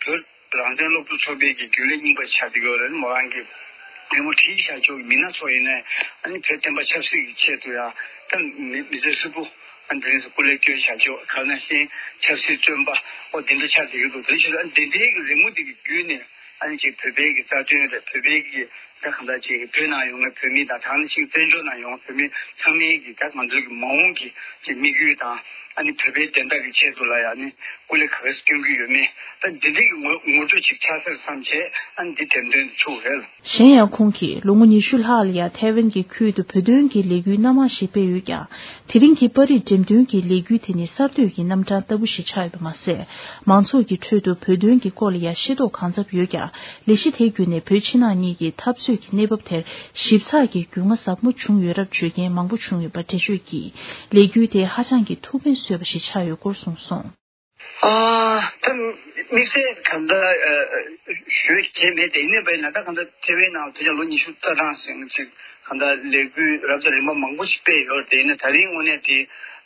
བོད། རང་བཙན་སློབ་ཕྲུག་ཚོགས་པའི་གི་རྒྱུན་ལས་རྙིང་པ་ཆགས་བསྡད་ཡོད་རེད། མོ་རང་གི་མེ་མོ་བྲིས་བཞག་ཆོག་གི་མི་སྣ་ཚོ་ཡིན་ནའི། ཨ་ནི་བོད་བསྟན་པ་ཆབ་སྲིད་ཀྱི་ཆེད་དུ་ཡང་ད་མི་མི་ཚེ་ཧྲིལ་པོ་ཨ་ནི་དེ་རིང་སྐུ་ལས་བསྐྱོན་བཞག་ཆོག། ག་ནང་བཞིན་ཆབ་སྲིད་བཙོན་པ་འོ་དེ་འདྲ་ཆགས་བསྡད་ཀྱི་འདུག། དེ་ཕྱིར་ཨ་ནི་དེ་འདྲའི་གི་རི་མོ་དེ་གི་བརྒྱུད་ནས་ཨ་ནི་ཅིག་བོད་པའི་གི་རྩ་དོན་རེད། བོད་པའི་གི་ད་གང་ལྟར་ཅིག་བོད་ནང་ཡོང་བའི་བོད་མི་དང་། ད་ནི་ཅིག་བཙན་བྱོལ་ནང་ཡོང་བའི་བོད་མི་ཚང་མའི་གི་ད་ང་ཚོའི་གི་མ་འོངས་ཀྱི་ཅིག་དམིགས་ཡུལ་དང་། ཨ་ནི་བོད་པའི་བདེན་མཐའ་གི་ཆེད་དུ་ལ་ཡང་ནི་སྐུ་ལས་ག་གེ་སྐྱོན་གྱི་ཡོད་མེད། ད་འདི་འདྲའི་གི་ངོ་ངོ་སྤྲོད་ཅིག་ཆགས་ཚར་བསམ་བྱས། ཨ་ནི་འདི་འགྲེམས་སྟོན་དུ་ཚུགས་རེད། གཞན་ཡང་ཁོང་གིས་ལོ་ངོ་ཉི་ཤུ་ལྷག་ལ་ཡང་ཐའེ་ཝན་གྱི་ཁུལ་དུ་བོད་དོན་གྱི་ལས་འགུལ་སྣ་མང་ཞིག་སྤེལ་ཡོད་ཀྱང་། དེ་རིང་གི་པར་རིས་འགྲེམས་སྟོན་གྱི་ལས་འགུལ་དེ་ནི་གསར་གཏོད་ཀྱི་རྣམ་གྲངས་ལྟ་བུ་ཞིག་ཆགས་ཡོད་པ་མ་ཟད། མང་ཚོགས་ཀྱི་ཁྲོད་དུ་བོད་དོན་གྱི་སྐོར་ལ་ཡང་ཤེས་རྟོགས་གང་འཚམ་ཡོད་ཀྱང་། ལས་གཞི་དེ་བརྒྱུད་ནས་བོད་ཕྱི་ནང་གཉིས་ཀྱི་འཐབ་རྩོད་ཀྱི་གནས་བབ་དེར་ཞིབ་ཚགས་ཀྱི་རྒྱུས་མངའ་ཟབ་མོ་བྱུང་ཡོད་རབས་བརྗོད་མཁན་མང་པོ་བྱུང་ཡོད་པ་འགྲེལ་བརྗོད་ཀྱིས། ལས་འགུལ་དེ་ཧ་ཅང་གི་ཐུགས་ཕན་གསོས་པ་ཞིག་ཆགས་ཡོད་སྐོར་གསུངས་སོང་། ཨ། ད་དམིགས་བསལ་གང་ལྟར་ཨ། ཞུ་བྱས་མེད་དེ། ཡིན་ནའི་བས་ན་ད་གང་ལྟར་ཐའེ་ཝན་ནང་ཕལ་ཆེར་ལོ་ཉི་ཤུ་རྩ་གྲངས་ཟིན་ཅིག་གང་ལྟར་ལས་འགུལ་རབ་དང་རིམ་པ་མང་པོ་ཞིག་སྤེལ་ཡོད་རེད། ཡིན་ནའི་ད་རིང་དངོས་གནས་དེ་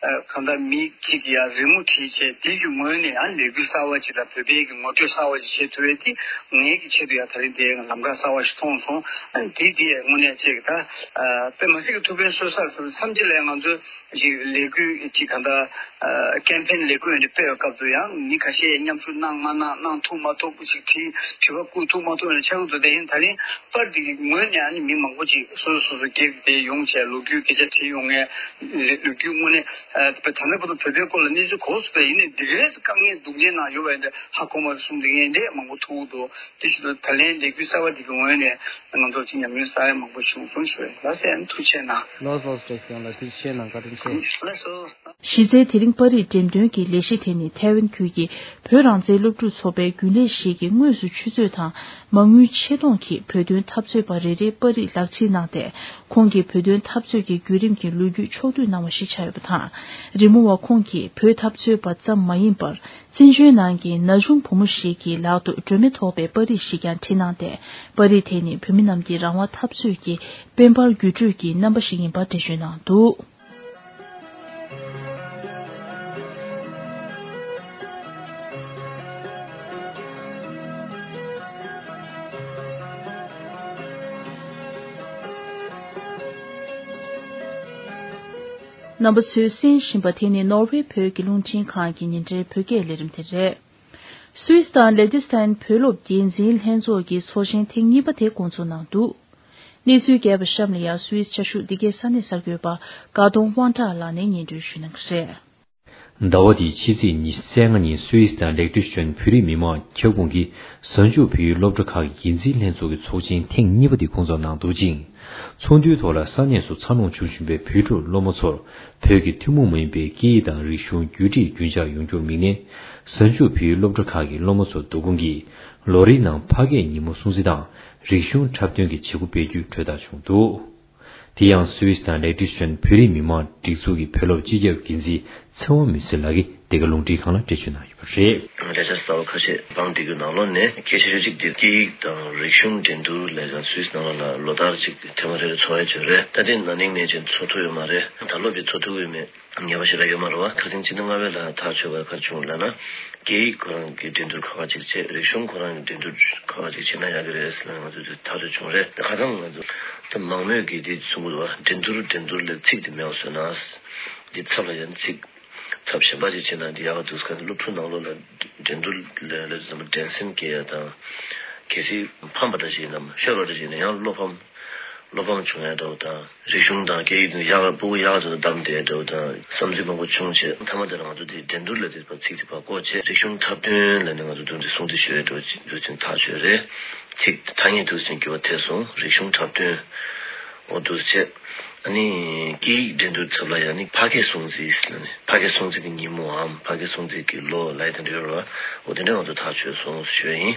ཨ། གང་ལྟར་མི་གཅིག་ཡ་རི་མོ་བྲིས་བྱས། དེ་གི་ངོས་ནས་ཨ་ལས་འགུལ་གསར་བ་ཅིག་དང་བོད་པའི་གི་ངོ་སྤྲོད་གསར་བ་ཅིག་བྱེད་ཐུབ་པ་དེ་ངེད་ཀྱི་ཆེད་དུ་ཡ་ད་རིང་དེ་ལམ་ཁ་གསར་བ་ཞིག་མཐོང་སོང་། ཨ་དེ་དེ་དངོས་གནས་ཅིག་ད་ཨ། དཔེ་མི་སྲིད་ཀྱི་ཐུགས་ཕན་གསོས་ས་རེད་བསམ་གྱི། ལས་ང་ཚོ་ཅིག་ལས་འགུལ་ཅིག་གང་ལྟར་ཨ། ཀེམ་ཕེན་ལས་འགུལ་འདི་སྤེལ་བའི་སྐབས་སུ་ཡང་མི་ཁ་ཤས་མཉམ་ཞུགས་གནང་མ་གནང་། གནང་ཐུབ་མ་ཐུབ་ཅིག་དྲི་དྲི་བ་བཀོད་ཐུབ་མ་ཐུབ་ཡང་ཆགས་ཀྱི་འདུག། དེ་ཡིན་ད་རིང་པར་འདི་གི་ངོས་ནས་ཨ་ནི་མི་མང་པོ་ཅིག་སོ་སོ་སོ་སོ་སྒེར་གྱི་དེ་ཡོང་བྱས་ལོ་རྒྱུས་སྐད་ཆ་དྲིས་ཡོང་ངས། ལོ་རྒྱུས་དངོས་གནས་ཨ། ད་ལྟ་བར་དུ་བོད་པའི་སྐོར་ལ་གནས་ཚུལ་གོ་སོང་བས། ཡིན་ནའི་འདི་རེས་དཀའ་ངལ་སྡུག་བསྔལ་ནང་ཡོད་པ་ཡིན་ཏེ་ཧ་གོ་མ་སོང་། འདི་ངས་འདི་མང་པོ་ཐུག་འདུག། དེ་བཞིན་དུ་ད་ལན་ལས་འགུལ་གསར་བ་འདི་གི་ངོས་ནས་ང་ཚོར་ཅིག་ཉམས་མྱོང་བསགས་ཡ་མང་པོ་བྱུང་སོང་ཞུ་བས། ལགས་སོ། ཨ་ནི་ཐུགས་རྗེ་གནང་། ལགས་སོ། ལགས་སོ། བཀྲ་ཤིས་ལགས་ཐུགས་རྗེ་གནང་། བཀའ་དྲིན་ཆེ། ལགས་སོ། གཞི་རྩའི་དེ་རིང་པར་རིས་འགྲེམས་སྟོན་གྱི་ལས་གཞི་དེ་ནི་ཐའེ་ཝན་ཁུལ་གྱི་བོད་རང་བཙན་སློབ་ཕྲུག་ཚོགས་པའི་རྒྱུན་ལས་ཤིག་གིས་དངོས་སུ་ཆུ་ཚོད་དང་མ་དངུལ་ཆེད་གཏོང་གིས་བོད་དོན་འཐབ་རྩོད་པ་རེ་རེའི་པར་རིས་ལག་ཁྱེར་གནང་སྟེ། ཁོང་གིས་བོད་དོན་འཐབ་རྩོད་ཀྱི་བརྒྱུད་རིམ་གྱི་ལོ་རྒྱུས་ཕྱོགས་བསྡུས་གནང་བ་ཞིག་ཆགས་ཡོད་པ་དང་། རི་མོ་བ་ཁོང་གིས་བོད་འཐབ་རྩོད་པ་ཙམ་མ་ཡིན་པར། བཙན་བྱོལ་ནང་གི་ན་ཆུང་བུ་མོ་ཞིག་གི་ལག་ཏུ་སྒྲོན་མེ་ཐོགས་པའི་པར་རིས་ཤིག་ཀྱང་བྲིས་གནང་སྟེ། པར་རིས་དེ་ནི་བོད་མི་རྣམས་ཀྱི་རང་དབང་འཐབ་རྩོད་ཀྱི་དཔལ་འབར་འགྱུར་འགྲོས་ཀྱི་རྣམ་པ་ཞིག་ཡིན་པ་འགྲེལ་བརྗོད་གནང་འདུག། རྣམ་པ་ཚོས་གསན་བཞིན་པ་དེ་ནི་ནོར་ཝེ་བོད་ཀྱི་རླུང་འཕྲིན་ཁང་གི་ཉིན་རེའི་བོད་སྐད་ལས་རིམ་དེ་རེད། སུད་སི་དང་ལེ་ཏི་སི་ཐན་བོད་སློབ་འགན་འཛིན་ལྷན་ཚོགས་ཀྱི་ཚོགས་ཆེན་ཐེངས་གཉིས་པ་དེ་འགོ་འཛུགས་གནང་འདུག། གནས་ཚུལ་རྒྱས་པ་གཤམ་ལ་ཡང་སུད་སི་ཆ་ཤུགས་འདི་གའི་ས་གནས་གསར་འགོད་པ་ཀ་གདོང་དབང་གྲགས་ལགས་ནས་སྙན་སྒྲོན་ཞུ་གནང་གི་རེད། ཟླ་བ་འདིའི་ཕྱི་ཚེས་ཉི་ཤུ་རྩ་ལྔ་ཉིན་སུད་སི་དང་ལེག་ཏི་ཤོན་བོད་རིགས་མི་མང་ཁྱབ་ཁོངས་ཀྱི་གཟའ་མཇུག་བོད་ཡིག་སློབ་གྲྭ་ཁག་གི་འགན་འཛིན་ལྷན་ཚོགས་ཀྱི་ཚོགས་ཆེན་ཐེངས་གཉིས་པ་དེ་འགོ་འཛུགས་གནང་འདུག་ཅིང་། ཚོགས་འདུའི་ཐོག་ལ་ས་གནས་སུ་འཚར་ལོངས་བྱུང་བཞིན་པའི་བོད་ཕྲུག་སློབ་མ་ཚོར་བོད་ཀྱི་ཐུན་མོང་མ་ཡིན་པའི་སྐད་ཡིག་དང་རིག་གཞུང་བརྒྱུད་འབྲེལ་རྒྱུན་འཇགས་ཡོང་རྒྱུར་དམིགས་ནས། གཟའ་མཇུག་བོད་ཡིག་སློབ་གྲྭ་ཁག་གི་སློབ་མ་ཚོ་བསྡུ་སྐོང་གིས་ལོ་རེའི་ནང་ཕ་སྐད་ཉིན་མོ་སྲུང་བརྩི་དང་རིག་གཞུང་འཁྲབ་སྟོན་གྱི་བྱེད་སྒོ་སྤེལ་རྒྱུའི་གྲོས་ཐག་བྱུང་འདུག། དེ་ཡང་སུད་སི་དང་ལེག་ཏི་སི་ཊན་བོད་རིགས་མི་མང་སྒྲིག་འཛུགས་ཀྱི་བོད་སློབ་སྤྱི་ཁྱབ་འགན་འཛིན་ཚེ་དབང་མུན་སེལ་ལགས་ཀྱིས་འདི་ག་རླུང་འཕྲིན་ཁང་ལ་འགྲེལ་བརྗོད་གནང་ཡོད་པ་རེད། ལས་འཆར་གསར་པ་ཁ་ཤས་བང་སྒྲིག་རྒྱུ་ནང་ལོགས་ནས་གལ་ཆེ་ཤོས་གཅིག་དེ་སྐད་ཡིག་དང་རིག་གཞུང་འགྲན་བསྡུར་ལས་ཀྱང་སུད་སི་ནང་ལོགས་ལ་ལོ་ལྟར་གཅིག་ཐེངས་མ་རེ་རེ་འཚོགས་ཡ་བྱས་རེད། ད་ཐེངས་ན་ནིང་ནས་ཅིག་འཚོགས་ཐུབ་ཡོད་མ་རེད། ད་ལོ་བའི་འཚོགས་ཐུབ་ཡོད་མེད་ངེས་པ་ཞེ་དྲག་ཡོད་མ་རེད་བ། ཁ་སང་ཕྱི་ཟླ་ལྔ་པའི་ལ་ཐག་ཆོད་པ་ག་བྱུང་ལབ་ན། སྐད་ཡིག་ཁོ་རང་གི་འགྲན་བསྡུར་ཁག་ཁག་ཅིག་བྱས། རིག་གཞུང་ཁོ་རང་གི་འགྲན་བསྡུར་ཁག་ཁག་ཅིག་བྱས་ན་ཡག་གི་རེད་ཟེར་ནས་ང་ཚོས་ཐག་གཅོད་བྱུང་རེད། ད་ཁ་སང་ང་ཚོ་ད་མང་མོས་ཀྱིས་འདི་གསུང་གི་འདུག་བ། འགྲན་བསྡུར་འགྲན་བསྡུར་ལ་ཚིག་འདི་མེད་པ་བཟོས་ན། འདི་ཚབ་ལ་ཡང་ཚིག་ཚབ་གཞན་པ་ཅིག་བྱས་ན་འདི་ཡག་ག་འདུག་ཟེར། སློབ་ཕྲུག་ནང་ལོགས་ལ་འགྲན་བསྡུར་ལ་ལ་ཙམ་འགྲན་སེམས་སྐྱེ་ཡ་དང་། གལ་སྲིད་ཕམ་པ་འདྲ་ཞིག་ཡིན་ནམ་ཤོར་བ་འདྲ་ཞིག་ཡིན་ན་ཡང་བློ་ཕམ་བློ་ཕམ་བྱུང་ཡ་འདྲ་བོ་དང་། རིག་གཞུང་དང་སྐད་ཡིག་དེ་ཡག་ག་སྤུ་གུ་ཡག་ག་ཚོ་བདམས་བསྡད་འདྲ་བོ་དང་། བསམ་ཚུལ་མང་པོ་བྱུང་བྱས། མཐའ་མ་དེ་ལ་ང་ཚོ་དེ་འགྲན་བསྡུར་ལ་དེ་ཚིག་དེ་ཕར་བཀོག་བྱས། རིག་གཞུང་འཁྲབ་སྟོན་ལབ་ནས་ང་ཚོ་དེ་འདྲ་སྲུང་བརྩི་ཞུ་ཡ་འདྲ་བོ་ཅིག་འདུག་ཅིང་ཐག་ཆོད་རེད། ཚིག་ཐ་སྙད་འདུག་ཅིང་འགྱུར་བ་ཐེབས་སོང་། རིག་གཞུང་འཁྲབ་སྟོན་འོ་འདུག་བྱས། ཨ་ནི་སྐད་ཡིག་འགྲན་བསྡུར་ཚབ་ལ་ཡང་ནི་ཕ་སྐད་སྲུང་བརྩི་ལབ་ནས། ཕ་སྐད་སྲུང་བརྩི་གི་ཉིན་མོའམ་ཕ་སྐད་སྲུང་བརྩི་གི་ལོ་ལབ་ཡ་དེ་འདྲ་ཡོད་རེད་བ། འོ་དེ་འདྲ་ང་ཚོ་ཐག་ཆོད་སོང་ཞུ་ཡ་ཡིན།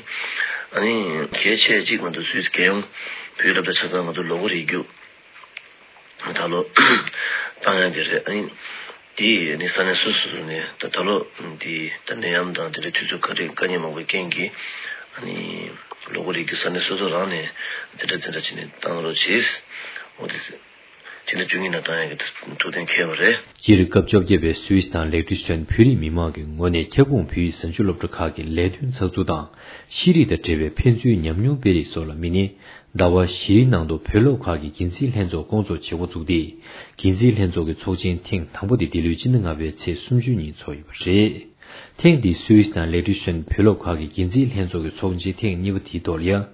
ཨ་ནི་གལ་ཆེ་གཅིག་ང་ཚོ་སུད་སི་རྒྱལ་ཡོངས་བོད་ཡིག་སློབ་གྲྭ་ཆ་ཚང་ང་ཚོ་ལོ་འཁོར་ཡིག་རྒྱུགས་ད་ལོ་བཏང་ཡ་དེ་རེད། ཨ་ནི་དེ་ནི་ས་གནས་སོ་སོ་ནས་ད་ད་ལོ་དེ་ད་ནད་ཡམས་དང་དེ་འདྲའི་དུས་ཚོད་ག་རེ་དཀའ་ངལ་མང་པོའི་རྐྱེན་གྱིས། ཨ་ནི་ལོ་འཁོར་ཡིག་རྒྱུགས་ས་གནས་སོ་སོ་རང་ནས་འཛིན་གྲྭ་འཛིན་གྲྭ་བྱས་ནས་བཏང་རོགས་བྱས། འོ་དེ་ཕྱི་ཟླ་བཅུ་གཉིས་ནང་བཏང་ཡག་གི་ཐུགས་འཐུས་གཏན་འཁེལ་བ་རེད། སྤྱིར་སྐབས་བཅོ་བརྒྱད་པའི་སུད་སི་དང་ལེག་ཏི་སི་ཊན་བོད་རིགས་མི་མང་གི་ངོས་ནས་ཁྱབ་ཁོངས་བོད་ཡིག་གཟའ་མཇུག་སློབ་གྲྭ་ཁག་གི་ལས་དོན་ཚགས་ཚུད་དང་། ཤེས་རིག་དང་འབྲེལ་བའི་ཕན་ཚུན་ཉམས་མྱོང་སྤེལ་རེས་སོགས་ལ་དམིགས་ནས། ཟླ་བ་བཞིའི་ནང་དུ་བོད་སློབ་ཁག་གི་འགན་འཛིན་ལྷན་ཚོགས་སྐོང་ཚོགས་བྱེད་འགོ་བཙུགས་ཏེ། འགན་འཛིན་ལྷན་ཚོགས་ཀྱི་ཚོགས་ཆེན་ཐེངས་དང་པོ་དེ་འདི་ལོའི་ཕྱི་ཟླ་ལྔ་པའི་ཚེས་སུམ་ཅུ་ཉིན་འཚོགས་ཡོད་པ་རེད། ཐེངས་འདིའི་སུད་སི་དང་ལེག་ཏི་སི་ཊན་བོད་སློབ་ཁག་གི་འགན་འཛིན་ལྷན་ཚོགས་ཀྱི་ཚོགས་ཆེན་ཐེངས་གཉིས་པ་དེའི་ཐོག་ལ་ཡང་།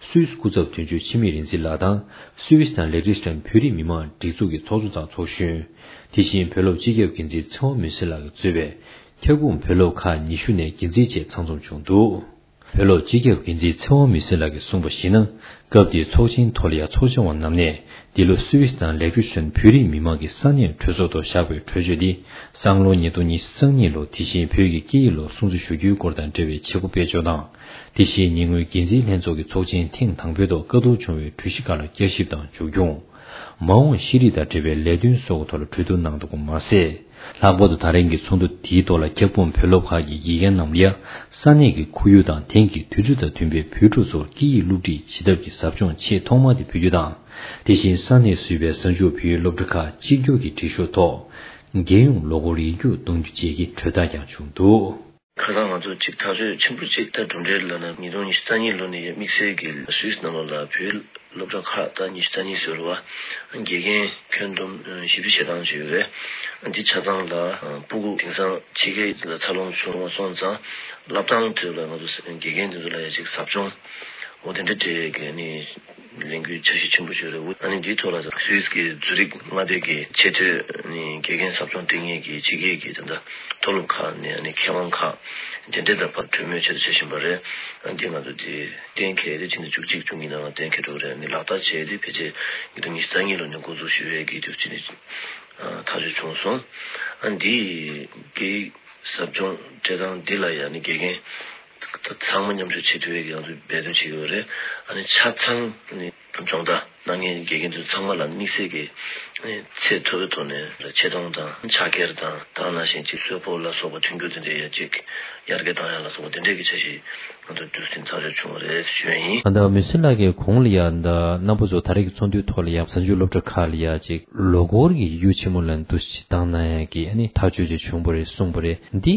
སུད་སི་སྐུ་ཚབ་དོན་གཅོད་འཆི་མེད་རིག་འཛིན་ལགས་དང་། སུད་སི་དང་ལེག་ཏི་སི་ཊན་བོད་རིགས་མི་མང་སྒྲིག་འཛུགས་ཀྱི་ཚོགས་གཙོ་དང་ཚོགས་གཞོན། དེ་བཞིན་བོད་སློབ་སྤྱི་ཁྱབ་འགན་འཛིན་ཚེ་དབང་མུན་སེལ་ལགས་ཀྱིས་གཙོས་པའི་ཁྱབ་ཁོངས་བོད་སློབ་ཁག་ཉི་ཤུ་ནས་འགན་འཛིན་བཅས་ཚང་འཛོམས་བྱུང་འདུག་བོད་སློབ་སྤྱི་ཁྱབ་འགན་འཛིན་ཚེ་དབང་མུན་སེལ་ལགས་ཀྱིས་གསུངས་པར་གཞིགས་ན། སྐབས་དེའི་ཚོགས་ཆེན་ཐོག་ལ་ཡང་ཚོགས་བཅར་བ་རྣམས་ནས་འདི་ལོ་སུད་སི་དང་ལེག་ཏི་སི་ཊན་བོད་རིགས་མི་མང་གི་ས་གནས་གྲོས་ཚོགས་ཐོག་བཞག་པའི་གྲོས་ཆོད་འདི་སང་ལོ་ཉིས་སྟོང་ཉི་ཤུ་རྩ་གཉིས་ལོ་དེ་བཞིན་བོད་ཀྱི་སྐད་ཡིག་ལོ་སྲུང་བརྩི་ཞུ་རྒྱུའི་སྐོར་དང་འབྲེལ་བའི་བྱེད་སྒོ་སྤེལ་ཕྱོགས་དང་། དེ་བཞིན་ཉེ་སྔོན་འགན་འཛིན་ལྷན་ཚོགས་ཀྱི་ཚོགས་ཆེན་ཐེངས་དང་པོའི་ཐོག་བཀའ་བསྡུར་བྱུང་བའི་གྲོས་གཞི་ཁག་ལ་བསྐྱར་ཞིབ་དང་མཇུག་སྐྱོང་། མ་འོངས་ཤེས་རིག་དང་འབྲེལ་བའི་ལས་དོན་སོགས་ཀྱི་ཐོག་ལ་གྲོས་བསྡུར་གནང་འདུག་པ་མ་ཟད། ལྷག་པར་དུ་ད་རིང་གི་ཚོགས་འདུ་དེའི་ཐོག་ལ་ཁྱབ་ཁོངས་བོད་སློབ་ཁག་གི་དགེ་རྒན་རྣམས་ལ་ཡང་ས་གནས་ཀྱི་ཁོར་ཡུག་དང་དེང་གི་དུས་ཚོད་དང་མཐུན་པའི་བོད་ཕྲུག་ཚོར་སྐད་ཡིག་སློབ་ཁྲིད་བྱེད་ཐབས་ཀྱི་ཟབ་སྦྱོང་ཆེས་ཐོག་མ་དེ་ཕུལ་རྒྱུ་དང་། དེ་བཞིན་ས་གནས་བཟོས་པའི་གཟའ་མཇུག་བོད་ཡིག་སློབ་གྲྭ་ཁག་གཅིག་གྱུར་གྱི་སྒྲིག་གཞི་ཐོག་རྒྱལ་ཡོངས་ལོ་འཁོར་ཡིག་རྒྱུགས་གཏོང་རྒྱུ་བཅས་ཀྱི་གྲོས་ཐག་ཀྱང་བྱུང་འདུག་ཁ་སང་ང་ཚོ་གཅིག་ཐག་གཅོད་ཆེན་པོ་གཅིག་ད་གྲུབ་འབྲས་ལབ་ན། ཉིས་སྟོང་ཉི་ཤུ་རྩ་གཉིས་ལོ་ནས་དམིགས་བསལ་གྱི་སུད་སི་ནང་ལོགས་ལ་བོད་སློབ་གྲྭ་ཁག་ད་ཉི་ཤུ་རྩ་གཉིས་བཟོས་རེད་བ། དགེ་རྒན་ཁྱོན་བསྡོམས་བཞི་བཅུ་ཞེ་གྲངས་ཅིག་ཡོད་རེད། འདི་ཆ་ཚང་ལ་སྤུ་གུ་དེང་སང་ཕྱི་རྒྱལ་ལ་འཚར་ལོངས་བྱུང་བ་སོང་ཙང་། སློབ་སྟངས་དེ་ལ་ང་ཚོ་དགེ་རྒན་དེ་ཚོ་ལ་ཡ་གཅིག་ཟབ་སྦྱོང་འོ་དེ་འདྲ་སྤྲད་ཀྱི་ནི། ལས་འགུལ་འཆར་གཞི་ཆེན་པོ་ཞིག་རེད། ཨ་ནི་འདིའི་ཐོག་ལ་སུད་སི་གི་ཛུ་རིག་མངའ་སྡེ་གི་ཆེས་མཐོའི་ནི་དགེ་རྒན་ཟབ་སྦྱོང་སྤྲད་མཁན་གྱི་ཕྱི་རྒྱལ་གྱི་ད་ལྟ་མཐོ་སློབ་ཁག་ནས་ཨ་ནི་མཁས་དབང་ཁག་དེ་འདྲའི་ད་བར་གྲོས་མོལ་ཆེད་དུ་བྱེད་བཞིན་པ་རེད། ཨ་འདི་ང་ཚོ་དེ་གཏན་འཁེལ་ཏེ་ཕྱི་ཟླ་བཅུ་གཅིག་བཅུ་གཉིས་ནང་ལ་གཏན་འཁེལ་འགྲོ་གི་རེད། ཨ་ནི་ལག་བསྟར་བྱས་ཏེ་ཕལ་ཆེར་ཉིས་སྟོང་ཉི་ཤུ་རྩ་གཉིས་ལོ་ནས་འགོ་འཛུགས་ཞུ་ཡས་ཀྱི་དུས་ཚོད་ནི་ཐག་གཅོད་བྱུང་སོང་། ཨ་འདི་གི་ཟབ་སྦྱོང་སྤྲད་སྟངས་འདི་ལ་ཡང་ནི་དགེ་རྒན་ད་ཚང་མ་མཉམ་ཞུགས་བྱེད་ཐུབ་ཡས་ཀྱི་ང་ཚོས་འབད་བརྩོན་བྱེད་ཀྱི་ཡོད་རེད། ཨ་ནི་ཆ་ཚང་ནི་སྦྱོང་བརྡར་གནང་མཁན་དགེ་རྒན་ཚོ་ཚང་མ་ལ་དམིགས་བསལ་གྱི་ཚད་མཐོ་བའི་ཐོག་ནས་ཆེ་མཐོང་དང་ཕྱག་འཁྱེར་དང་། ད་ག་ནང་བཞིན་ཅིག་གསོལ་ཕོགས་ལ་སོགས་པ་མཐུན་འགྱུར་དེ་འདྲའི་ཡ་ཅིག་ཡར་རྒྱས་བཏང་ཡ་ལ་སོགས་པ་དེ་འདྲའི་གི་འཆར་གཞི་ང་ཚོ་དུས་ཟིན་ཐག་གཅོད་བྱུང་བ་རེད་ཞུ་ཡ་ཡིན། ད་ལྟ་མུན་སེལ་ལགས་ཀྱིས་གོང་ལ་ཡ་ད་རྣམ་པ་ཚོ་ད་རེས་ཀྱི་ཚོགས་འདུའི་ཐོག་ལ་ཡ་གཟའ་མཇུག་སློབ་གྲྭ་ཁག་ལ་ཡ་ཅིག་ལོ་འཁོར་གྱི་ཡིག་རྒྱུགས་ཆེན་མོ་ལ་འདུ་ཞིག་བཏང་གནང་ཡ་གི་ཨ་ནི་ཐག་གཅོད་ཅིག་བྱུང་བ་རེད་གསུངས་པ་རེད། འདི་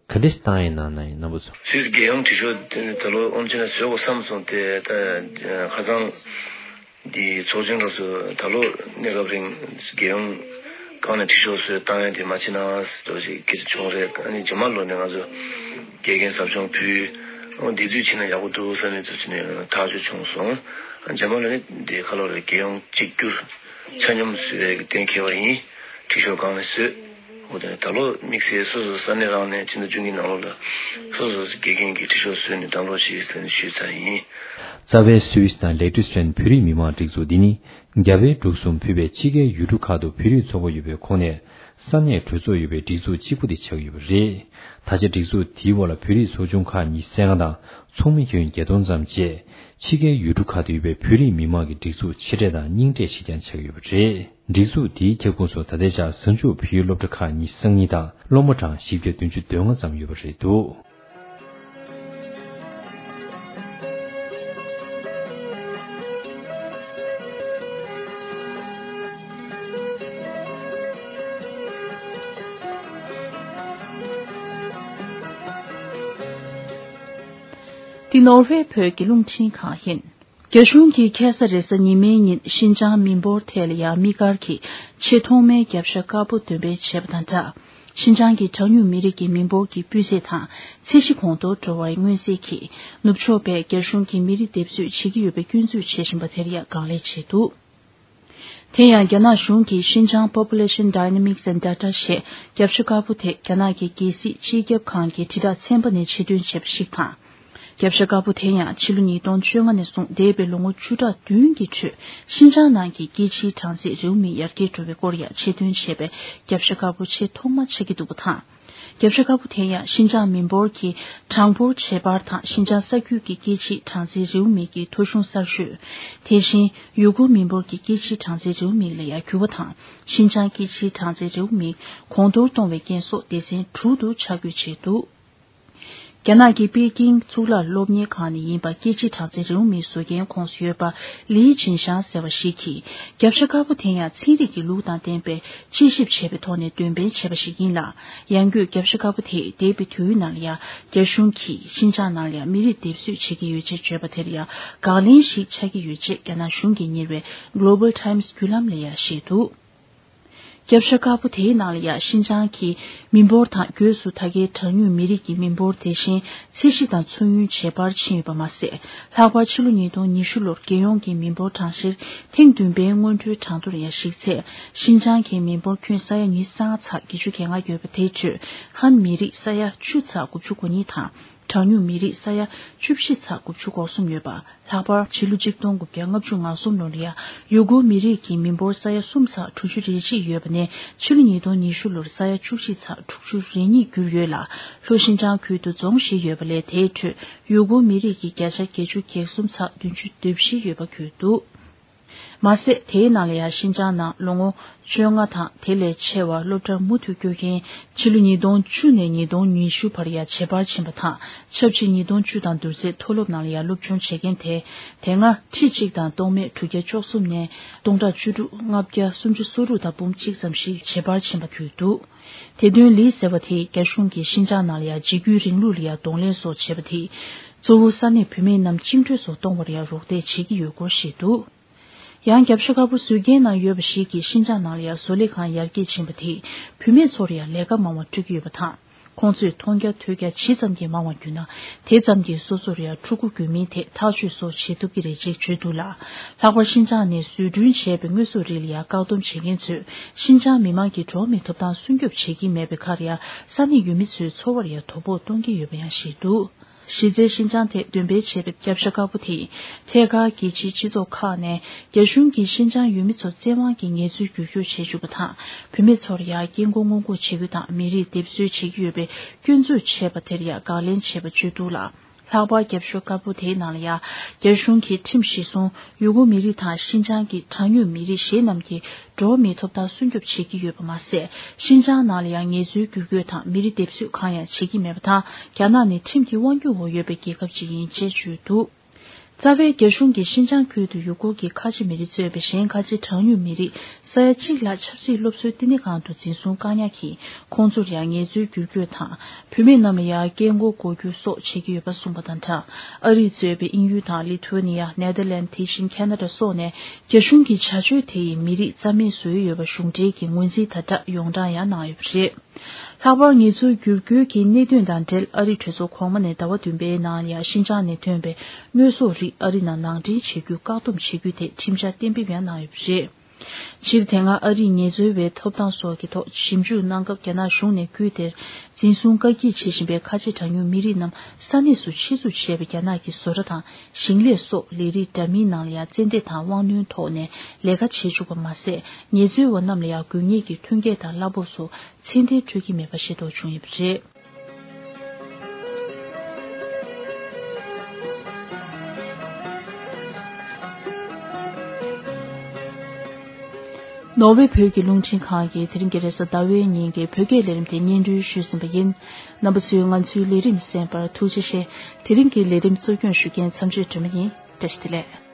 ག་འདྲ་བཏང་ཡིན་ན་ན་ཡིན་རྣམ་པ་ཚོ། སུད་སི་རྒྱལ་ཡོངས་དྲི་ཤོག་དེ་ནི་ད་ལོ་དབུ་འབྱེད་ནས་བཟོས་དགོས་བསམ་སོང་སྟེ། ད་ཁ་སང་འདི་ཚོགས་ཆེན་སྐབས་སུ་ད་ལོ་གནས་སྐབས་རིང་རྒྱལ་ཡོངས་སྒང་ནས་དྲི་ཤོག་བཟོས་བཏང་ཡ་དེ་མ་བྱེད་ན་ཟེར་ཞིག་སྐད་ཆ་བྱུང་རེད། ཨ་ནི་རྗེས་མ་ལོ་ནས་ང་ཚོ་དགེ་རྒན་ཟབ་སྦྱོང་ཕུལ། འོ་འདི་དུས་ཕྱིན་ན་ཡག་པོ་འདུག་བསམ་ནས་ཚོ་ཕྱིན་ནས་ཐག་གཅོད་བྱུང་སོང་། རྗེས་མ་ལོ་ནས་འདི་ཁ་ལོ་རེ་རྒྱལ་ཡོངས་གཅིག་གྱུར་ཆ་སྙོམས་བཟོས་པའི་གཏན་འཁེལ་བ་ཡིན། དྲི་ཤོག་སྒང་ནས་བཟོས། འོ་དེ་ནས་ད་ལོ་དམིགས་བསལ་སོ་སོའི་ས་གནས་རང་ནས་ཕྱི་ཟླ་བཅུ་གཉིས་ནང་ལོགས་ལ་སོ་སོ་དགེ་རྒན་གྱི་དྲི་ཤོག་བཟོས་ནས་བཏང་རོགས་ཞེས་ཟེར་ནས་ཞུས་ཚར་ཡིན། རྩ་བའི་སུད་སི་དང་ལེག་ཏི་སི་ཊན་བོད་རིགས་མི་མང་སྒྲིག་འཛུགས་འདི་ནི་རྒྱ་བལ་འབྲུག་གསུམ་ཕུད་པའི་ཕྱི་རྒྱལ་ཡུལ་གྲུ་ཁག་ཏུ་བོད་རིགས་ཚོགས་པ་ཡོད་པའི་ཁོངས་ནས་ ས་གནས་གྲོས་ཚོགས་ཡོད་པའི་སྒྲིག་འཛུགས་གཅིག་པུ་དེ་ཆགས་ཡོད་པ་རེད། ད་ཆ་སྒྲིག་འཛུགས་དེའི་འོག་ལ་བོད་རིགས་ཚོགས་ཆུང་ཁག་ཉི་ཤུ་རྩ་ལྔ་དང་ཚོགས་མི་ཁྱོན་བརྒྱད་སྟོང་ཙམ་བཅས་ཕྱི་རྒྱལ་ཡུལ་གྲུ་ཁག་ཏུ་ཡོད་པའི་བོད་རིགས་མི་མང་གི་སྒྲིག་འཛུགས་ཆེ་གྲས་དང་རྙིང་གྲས་ཤིག་ཀྱང་ཆགས་ཡོད་པ་རེད། སྒྲིག་འཛུགས་དེའི་ཁྱབ་ཁོངས་སུ་ད་ལྟའི་ཆར་གཟའ་མཇུག་བོད་ཡིག་སློབ་གྲྭ་ཁག་ཉི་ཤུ་རྩ་གཉིས་དང་སློབ་མ་གྲངས་བཞི་བརྒྱ་བདུན་ཅུ་དོན་ལྔ་ཙམ་ཡོད་པ་རེད་འདུག། འདི་ནོར་ཝེ་བོད་ཀྱི་རླུང་འཕྲིན་ཁང་ཡིན། རྒྱ་གཞུང་གིས་ཁ་སང་རེས་གཟའ་ཉི་མའི་ཉིན་ཤིན་ཅང་མི་འབོར་ཐད་ལ་ཡང་དམིགས་བཀར་གྱིས་ཆེས་ཐོག་མའི་རྒྱབ་ཤ་དཀར་པོ་འདོན་སྤེལ་བྱས་པ་དང་སྦྲགས། ཤིན་ཅང་གི་གྲངས་ཉུང་མི་རིགས་ཀྱི་མི་འབོར་གྱི་སྤུས་ཚད་དང་ཚད་གཞི་གོང་མཐོར་འགྲོ་བར་མངོན་གསལ་གྱིས་ནུབ་ཕྱོགས་པས་རྒྱ་གཞུང་གིས་མི་རིགས་སྡེབ་གསོད་བྱེད་ཀྱི་ཡོད་པའི་སྐྱོན་འཛུགས་བྱེད་བཞིན་པ་དེར་ཡང་དགག་ལན་བྱས་འདུག། དེ་ཡང་རྒྱ་ནག་གཞུང་གིས་ཤིན་ཅང་Population Dynamics and Data ཞེས་རྒྱབ་ཤ་དཀར་པོ་དེ་རྒྱ་ནག་གི་རྒྱལ་སྲིད་སྤྱི་ཁྱབ་ཁང་གི་དྲིལ་བསྒྲགས་ཚན་པ་ནས་ཆེད་འདོན་བྱས་པ་ཞིག་དང་། རྒྱབ་ཤ་དཀར་པོ་དེ་ཡང་ཕྱི་ལོ་ཉིས་སྟོང་བཅོ་ལྔ་ནས་བཟུང་འདས་པའི་ལོ་ངོ་བཅུ་ཕྲག་བདུན་གྱི་ཁྲོད་ཤིན་ཅང་ནང་གི་སྐྱེ་འཆིའི་གྲངས་ཚད་རེའུ་མིག་ཡར་རྒྱས་འགྲོ་བའི་སྐོར་ཡང་ཆེད་འདོན་བྱས་པའི་རྒྱབ་ཤ་དཀར་པོ་ཆེས་ཐོག་མ་ཆགས་ཀྱི་འདུག་པ་དང་། རྒྱབ་ཤ་དཀར་པོ་དེ་ཡང་ཤིན་ཅང་མི་འབོར་གྱི་གྲངས་འབོར་ཁྱད་པར་དང་ཤིན་ཅང་ས་རྒྱུད་ཀྱི་སྐྱེ་འཆིའི་གྲངས་ཚད་རེའུ་མིག་གི་ཐོ་གཞུང་གསར་ཤོས། དེ་བཞིན་ཡུ་གུར་མི་འབོར་གྱི་སྐྱེ་འཆིའི་གྲངས་ཚད་རེའུ་མིག་ལ་ཡང་འགྱུར་བ་དང་ཤིན་ཅང་སྐྱེ་འཆིའི་གྲངས་ཚད་རེའུ་མིག་གོང་མཐོར་གཏོང་བའི་རྐྱེན་སོགས་སྡེ་ཚན་དྲུག་ཏུ་ཆ་བགོས་བྱས་འདུག། རྒྱ་ནག་གི་པེ་ཀིང་གཙུག་ལག་སློབ་གཉེར་ཁང་ནས་ཡིན་པ་སྐྱེ་འཆིའི་གྲངས་ཚད་རེའུ་མིག་བཟོ་མཁན་ཁོངས་སུ་ཡོད་པ་ལི་ཅིན་ཤང་ཟེར་བ་ཞིག་གིས་རྒྱབ་ཤ་དཀར་པོ་དེ་ཡང་ཚན་རིག་གི་ལུགས་དང་ལྡན་པའི་དཔྱད་ཞིབ་བྱས་པའི་ཐོག་ནས་འདོན་སྤེལ་བྱས་པ་ཞིག་ཡིན་ལ། ཡང་སྒོས་རྒྱབ་ཤ་དཀར་པོ་དེས་འདས་པའི་དུས་ཡུན་ནང་ལ་ཡང་རྒྱ་གཞུང་གིས་ཤིན་ཅང་ནང་ལ་ཡང་མི་རིགས་སྡེབ་གསོད་བྱེད་ཀྱི་ཡོད་ཅེས་བརྗོད་པ་དེར་ཡང་དགག་ལན་ཞིག་ཆགས་ཀྱི་ཡོད་ཅེས་རྒྱ་ནག་གཞུང་གིས་གཉེར་བའི་Global Times བརྒྱུད་ལམ་ལ་ཡང་བཤད་འདུག། རྒྱབ་ཤ་དཀར་པོ་དེའི་ནང་ལ་ཡང་ཤིན་ཅང་གི་མི་འབོར་དང་སྒོས་སུ་ད་གའི་གྲངས་ཉུང་མི་རིགས་ཀྱི་མི་འབོར་དེ་བཞིན་ཚད་གཞི་དང་ཚུལ་མིན་ཇེ་ཕར་ཕྱིན་ཡོད་པ་མ་ཟད། ལྷག་པར་ཕྱི་ལོ་ཉིས་སྟོང་ཉི་ཤུ་ལོར་རྒྱལ་ཡོངས་ཀྱི་མི་འབོར་གྲངས་གཞིར་ཐེངས་བདུན་པའི་སྔོན་འགྲོའི་གྲངས་ཐོར་ཡང་གཞིགས་ཚེ། ཤིན་ཅང་གི་མི་འབོར་ཁྱོན་ས་ཡ་ཉི་ཤུ་རྩ་ལྔ་ཚེག་བརྒྱད་ཅུ་གྱ་ལྔ་ཡོད་པ་དེའི་ཁྲོད་ཧན་མི་རིགས་ས་ཡ་བཅུ་ཚེག་དགུ་བཅུ་གོ་གཉིས་དང་། གྲངས་ཉུང་མི་རིགས་ས་ཡ་བཅུ་བཞི་ཚེག་དགུ་བཅུ་གོ་གསུམ་ཡོད་པ། ལྷག་པར་ཕྱི་ལོ་གཅིག་སྟོང་དགུ་བརྒྱ་ལྔ་བཅུ་ང་གསུམ་ལོར་ཡང་ཡུ་གུར་མི་རིགས་ཀྱི་མི་འབོར་ས་ཡ་གསུམ་ཚེག་དྲུག་ཅུ་རེ་གཅིག་ཡོད་པ་ནས་ཕྱི་ལོ་ཉིས་སྟོང་ཉི་ཤུ་ལོར་ས་ཡ་བཅུ་གཅིག་ཚེག་དྲུག་ཅུ་རེ་གཉིས་གྱུར་ཡོད་ལ། ལྷོ་ཤིན་ཅང་ཁུལ་དུ་རྫོང་བཞི་ཡོད་པ་ལས་དེའི་ཁྲོད་ཡུ་གུར་མི་རིགས་ཀྱི་བརྒྱ་ཆ་བརྒྱད་ཅུ་གྱ་གསུམ་ཚེག་བདུན་ཅུ་དོན་བཞི་ཡོད་པ་བཀོད་འདུག། མ་ཟད། དེའི་ནང་ལ་ཡང་ཤིན་ཅང་ནང་ལོ་ངོ་བཅོ་ལྔ་དང་དེ་ལས་ཆེ་བ་སློབ་གྲྭར་མུ་མཐུད་སྐྱོད་མཁན་ཕྱི་ལོ་ཉིས་སྟོང་བཅུ་ནས་ཉིས་སྟོང་ཉི་ཤུ་བར་ཡང་ཇེ་ཕར་ཕྱིན་པ་དང་། ཆབས་ཅིག་ཉིས་སྟོང་བཅུ་དང་བདུན་ཚེག་མཐོ་སློབ་ནང་ལ་ཡང་སློབ་སྦྱོང་བྱེད་མཁན་དེ་དེ་སྔ་ཁྲི་གཅིག་དང་སྟོང་མེད་དྲུག་བརྒྱ་བཅུ་གསུམ་ནས་སྟོང་ཕྲག་བཅུ་དྲུག་ལྔ་བརྒྱ་སུམ་ཅུ་སོ་དྲུག་དང་འབུམ་གཅིག་ཙམ་ཞིག་ཇེ་ཕར་ཕྱིན་པ་བརྒྱུད་འདུག། དེ་དོན་ལི་ཟེར་བ་དེས་རྒྱ་གཞུང་གིས་ཤིན་ཅང་ནང་ལ་ཡང་འཇིགས་སྐུལ་རིང་ལུགས་ལ་ཡང་གདོང་ལེན་སོགས་བྱས་པ་དེས་གཙོ་བོ་ས་གནས་བུད་མེད་རྣམས་བཅིངས་འགྲོལ་སོགས་གཏོང་བར་ཡང་རོགས་འདེགས་བྱེད་ཀྱི་ཡོད་སྐོར་བཤད་འདུག། ཡང་རྒྱབ་ཤ་དཀར་པོ་བཟོ་མཁན་ནང་ཡོད་པ་ཞིག་གིས་ཤིན་ཅང་ནང་ལ་ཡང་བཟོ་ལས་ཁང་ཡར་རྒྱས་ཕྱིན་པ་དེས་བུད་མེད་ཚོར་ཡང་ལས་ཀ་མང་བ་སྤྲོད་ཀྱི་ཡོད་པ་དང་། ཁོང་ཚོས་མཐོང་རྒྱ་ཐོས་རྒྱ་ཇི་ཙམ་གྱིས་མང་བ་བརྒྱུད་ན། དེ་ཙམ་གྱིས་སོ་སོར་ཡང་ཕྲུ་གུ་རྒྱུད་སྨིན་ཐད་ཐག་གཅོད་སོགས་བྱེད་ཐུབ་ཀྱི་རེད་ཅེས་བརྗོད་འདུག་ལ། ལྷག་པར་ཤིན་ཅང་ནས་བཟོ་སྐྲུན་བྱས་པའི་དངོས་ཟོག་རིགས་ལ་ཡང་བཀག་སྡོམ་བྱེད་མཁན་ཚོས་ཤིན་ཅང་མི་མང་གི་འགྲོ་བ་མིའི་ཐོབ་ཐང་སྲུང་སྐྱོབ་བྱེད་ཀྱིན་མེད་པའི་ཁར་ཡང་ས་གནས་ཡུལ་མི་ཚོའི་འཚོ་བར་ཡང་དོ་ཕོག་གཏོང་གི་ཡོད་པ་ཡང་བཤད་འདུག། གཞི་རྩའི་ཤིན་ཅང་ཐད་འདོན་སྤེལ་བྱས་པའི་རྒྱབ་ཤ་དཀར་པོ་དེས་ཐད་ཀར་རྒྱལ་སྤྱིའི་སྤྱི་ཚོགས་ཁག་ནས་རྒྱ་གཞུང་གིས་ཤིན་ཅང་ཡུལ་མི་ཚོར་བཙན་དབང་གིས་ངལ་རྩོལ་བསྒྱུར་བཅོས་བྱེད་བཅུག་པ་དང་། བུད་མེད་ཚོར་ཡང་རྐྱེན་ངན་སྔོན་འགོག་བྱེད་རྒྱུ་དང་མི་རིགས་སྡེབ་གསོད་བྱེད་ཀྱི་ཡོད་པའི་སྐྱོན་འཛུགས་བྱས་པ་དེར་ཡང་དགག་ལན་བྱས་པ་བརྗོད་འདུག་ལ། ལྷག་པར་རྒྱབ་ཤ་དཀར་པོ་དེའི་ནང་ལ་ཡང་རྒྱ་གཞུང་གིས་ཁྲིམས་གཞིར་བཟུང་ཡུ་གུར་མི་རིགས་དང་ཤིན་ཅང་གི་གྲངས་ཉུང་མི་རིགས་གཞན་རྣམས་ཀྱི་འགྲོ་བ་མིའི་ཐོབ་ཐང་སྲུང་སྐྱོབ་བྱེད་ཀྱི་ཡོད་པ་མ་ཟད། ཤིན་ཅང་ནང་ལ་ཡང་ངལ་རྩོལ་བསྒྱུར་བཀོད་དང་མི་རིགས་སྡེབ་གསོད་གང་ཡང་བྱེད་ཀྱི་མེད་པ་དང་། རྒྱ་ནག་ནི་ཁྲིམས་ཀྱི་དབང་སྒྱུར་འོག་ཡོད་པའི་རྒྱལ་ཁབ་ཅིག་ཡིན་ཅེས་བརྗོད་འདུག། རྩ་བའི་རྒྱ་གཞུང་གིས་ཤིན་ཅང་ཁུལ་དུ་ཡུ་གུར་གྱི་ཁ་ཆེ་མི་རིགས་གཙོས་པའི་གཞན་ཁ་ཆེ་གྲངས་ཉུང་མི་རིགས་ས་ཡ་གཅིག་ལྷག་ཆབ་སྲིད་སློབ་གསོའི་བསྟི་གནས་ཁང་དུ་འཛིན་བཟུང་བཀག་ཉར་གྱིས་ཁོང་ཚོར་ཡང་ངལ་རྩོལ་བསྒྱུར་བཀོད་དང་བུད་མེད་རྣམས་ལ་ཡང་སྐད་འགོག་འགོག་རྒྱུ་སོགས་བྱེད་ཀྱི་ཡོད་པ་གསུངས་པ་དང་སྦྲགས། ཨ་རི་གཙོས་པའི་དབྱིན་ཡུལ་དང་ལི་ཐུ་ཝེ་ནི་ཡ། ནེ་དར་ལན། དེ་བཞིན་ཁེ་ན་ཌ་སོགས་ནས་རྒྱ་གཞུང་གི་བྱ་སྤྱོད་དེ་ཡིས་མི་རིགས་རྩ་མེད་བཟོ་ཡི་ཡོད་པ་གཞུང་འབྲེལ་གྱི་ངོས་འཛིན་དང་སྦྲགས་ཡོངས་གྲགས་ཡང་གནང་ཡོད་པ་རེད། ལྷག་པར་ངལ་རྩོལ་བསྒྱུར་བཀོད་ཀྱི་གནད་དོན་དང་འབྲེལ་ཨ་རིའི་གྲོས་ཚོགས་གོང་མ་ནས་ཟླ་བ་བདུན་པའི་ནང་ཡང་ཤིན་ཅང་ནས་ཐོན་པའི་དངོས་ཟོག་རིགས་ཨ་རི་ནང་ནང་འདྲེན་བྱེད་རྒྱུ་བཀག་སྡོམ་བྱེད་རྒྱུ་དེ་ཁྲིམས་འཆར་གཏན་འབེབས་ཡང་གནང་ཡོད་པ་རེད། སྤྱིར་དེ་སྔ་ཨ་རིས་ངལ་རྩོལ་བའི་ཐོབ་ཐང་སོགས་ཀྱི་ཐོག་ཞིབ་འཇུག་གནང་སྐབས། རྒྱ་ནག་གཞུང་ནས་ཁུལ་དེར་འཛིན་བཟུང་བཀག་སྐྱིལ་བྱེད་བཞིན་པའི་ཁ་ཆེ་གྲངས་ཉུང་མི་རིགས་རྣམས་ས་གནས་སུ་ཆེད་འཛུགས་བྱས་པའི་རྒྱ་ནག་གི་བཟོ་གྲྭ་དང་ཞིང་ལས་སོགས་ལས་རིགས་འདྲ་མིན་ནང་ལ་ཡང་བཙན་འདེད་དང་དབང་གནོན་ཐོག་ནས་ལས་ཀ་བྱེད་བཅུག་པ་མ་ཟད། ངལ་རྩོལ་བ་རྣམས་ལ་ཡང་དགོས་ངེས་ཀྱི་མཐུན་རྐྱེན་དང་གླ་ཕོགས་སོགས་ཚད་ལྡན་སྤྲོད་ཀྱི་མེད་པ་ཤེས་རྟོགས་བྱུང་ཡོད་པ་རེད། ནོར་ཝེ་བོད་ཀྱི་རླུང་འཕྲིན་ཁང་གིས་དེ་རིང་གི་རེས་གཟའ་ཟླ་བའི་ཉིན་གྱི་བོད་སྐད་ལས་རིམ་དེ་སྙན་སྒྲོན་ཞུས་ཟིན་པ་ཡིན། རྣམ་པ་ཚོས་ང་ཚོའི་ལས་རིམ་གསན་པར་ཐུགས་རྗེ་ཆེ། དེ་རིང་གི་ལས་རིམ་གཙོ་སྐྱོང་ཞུ་མཁན་མཚམས་གཅོད་སྒྲོལ་མ་ཡིན། བཀྲ་ཤིས་བདེ་ལེགས།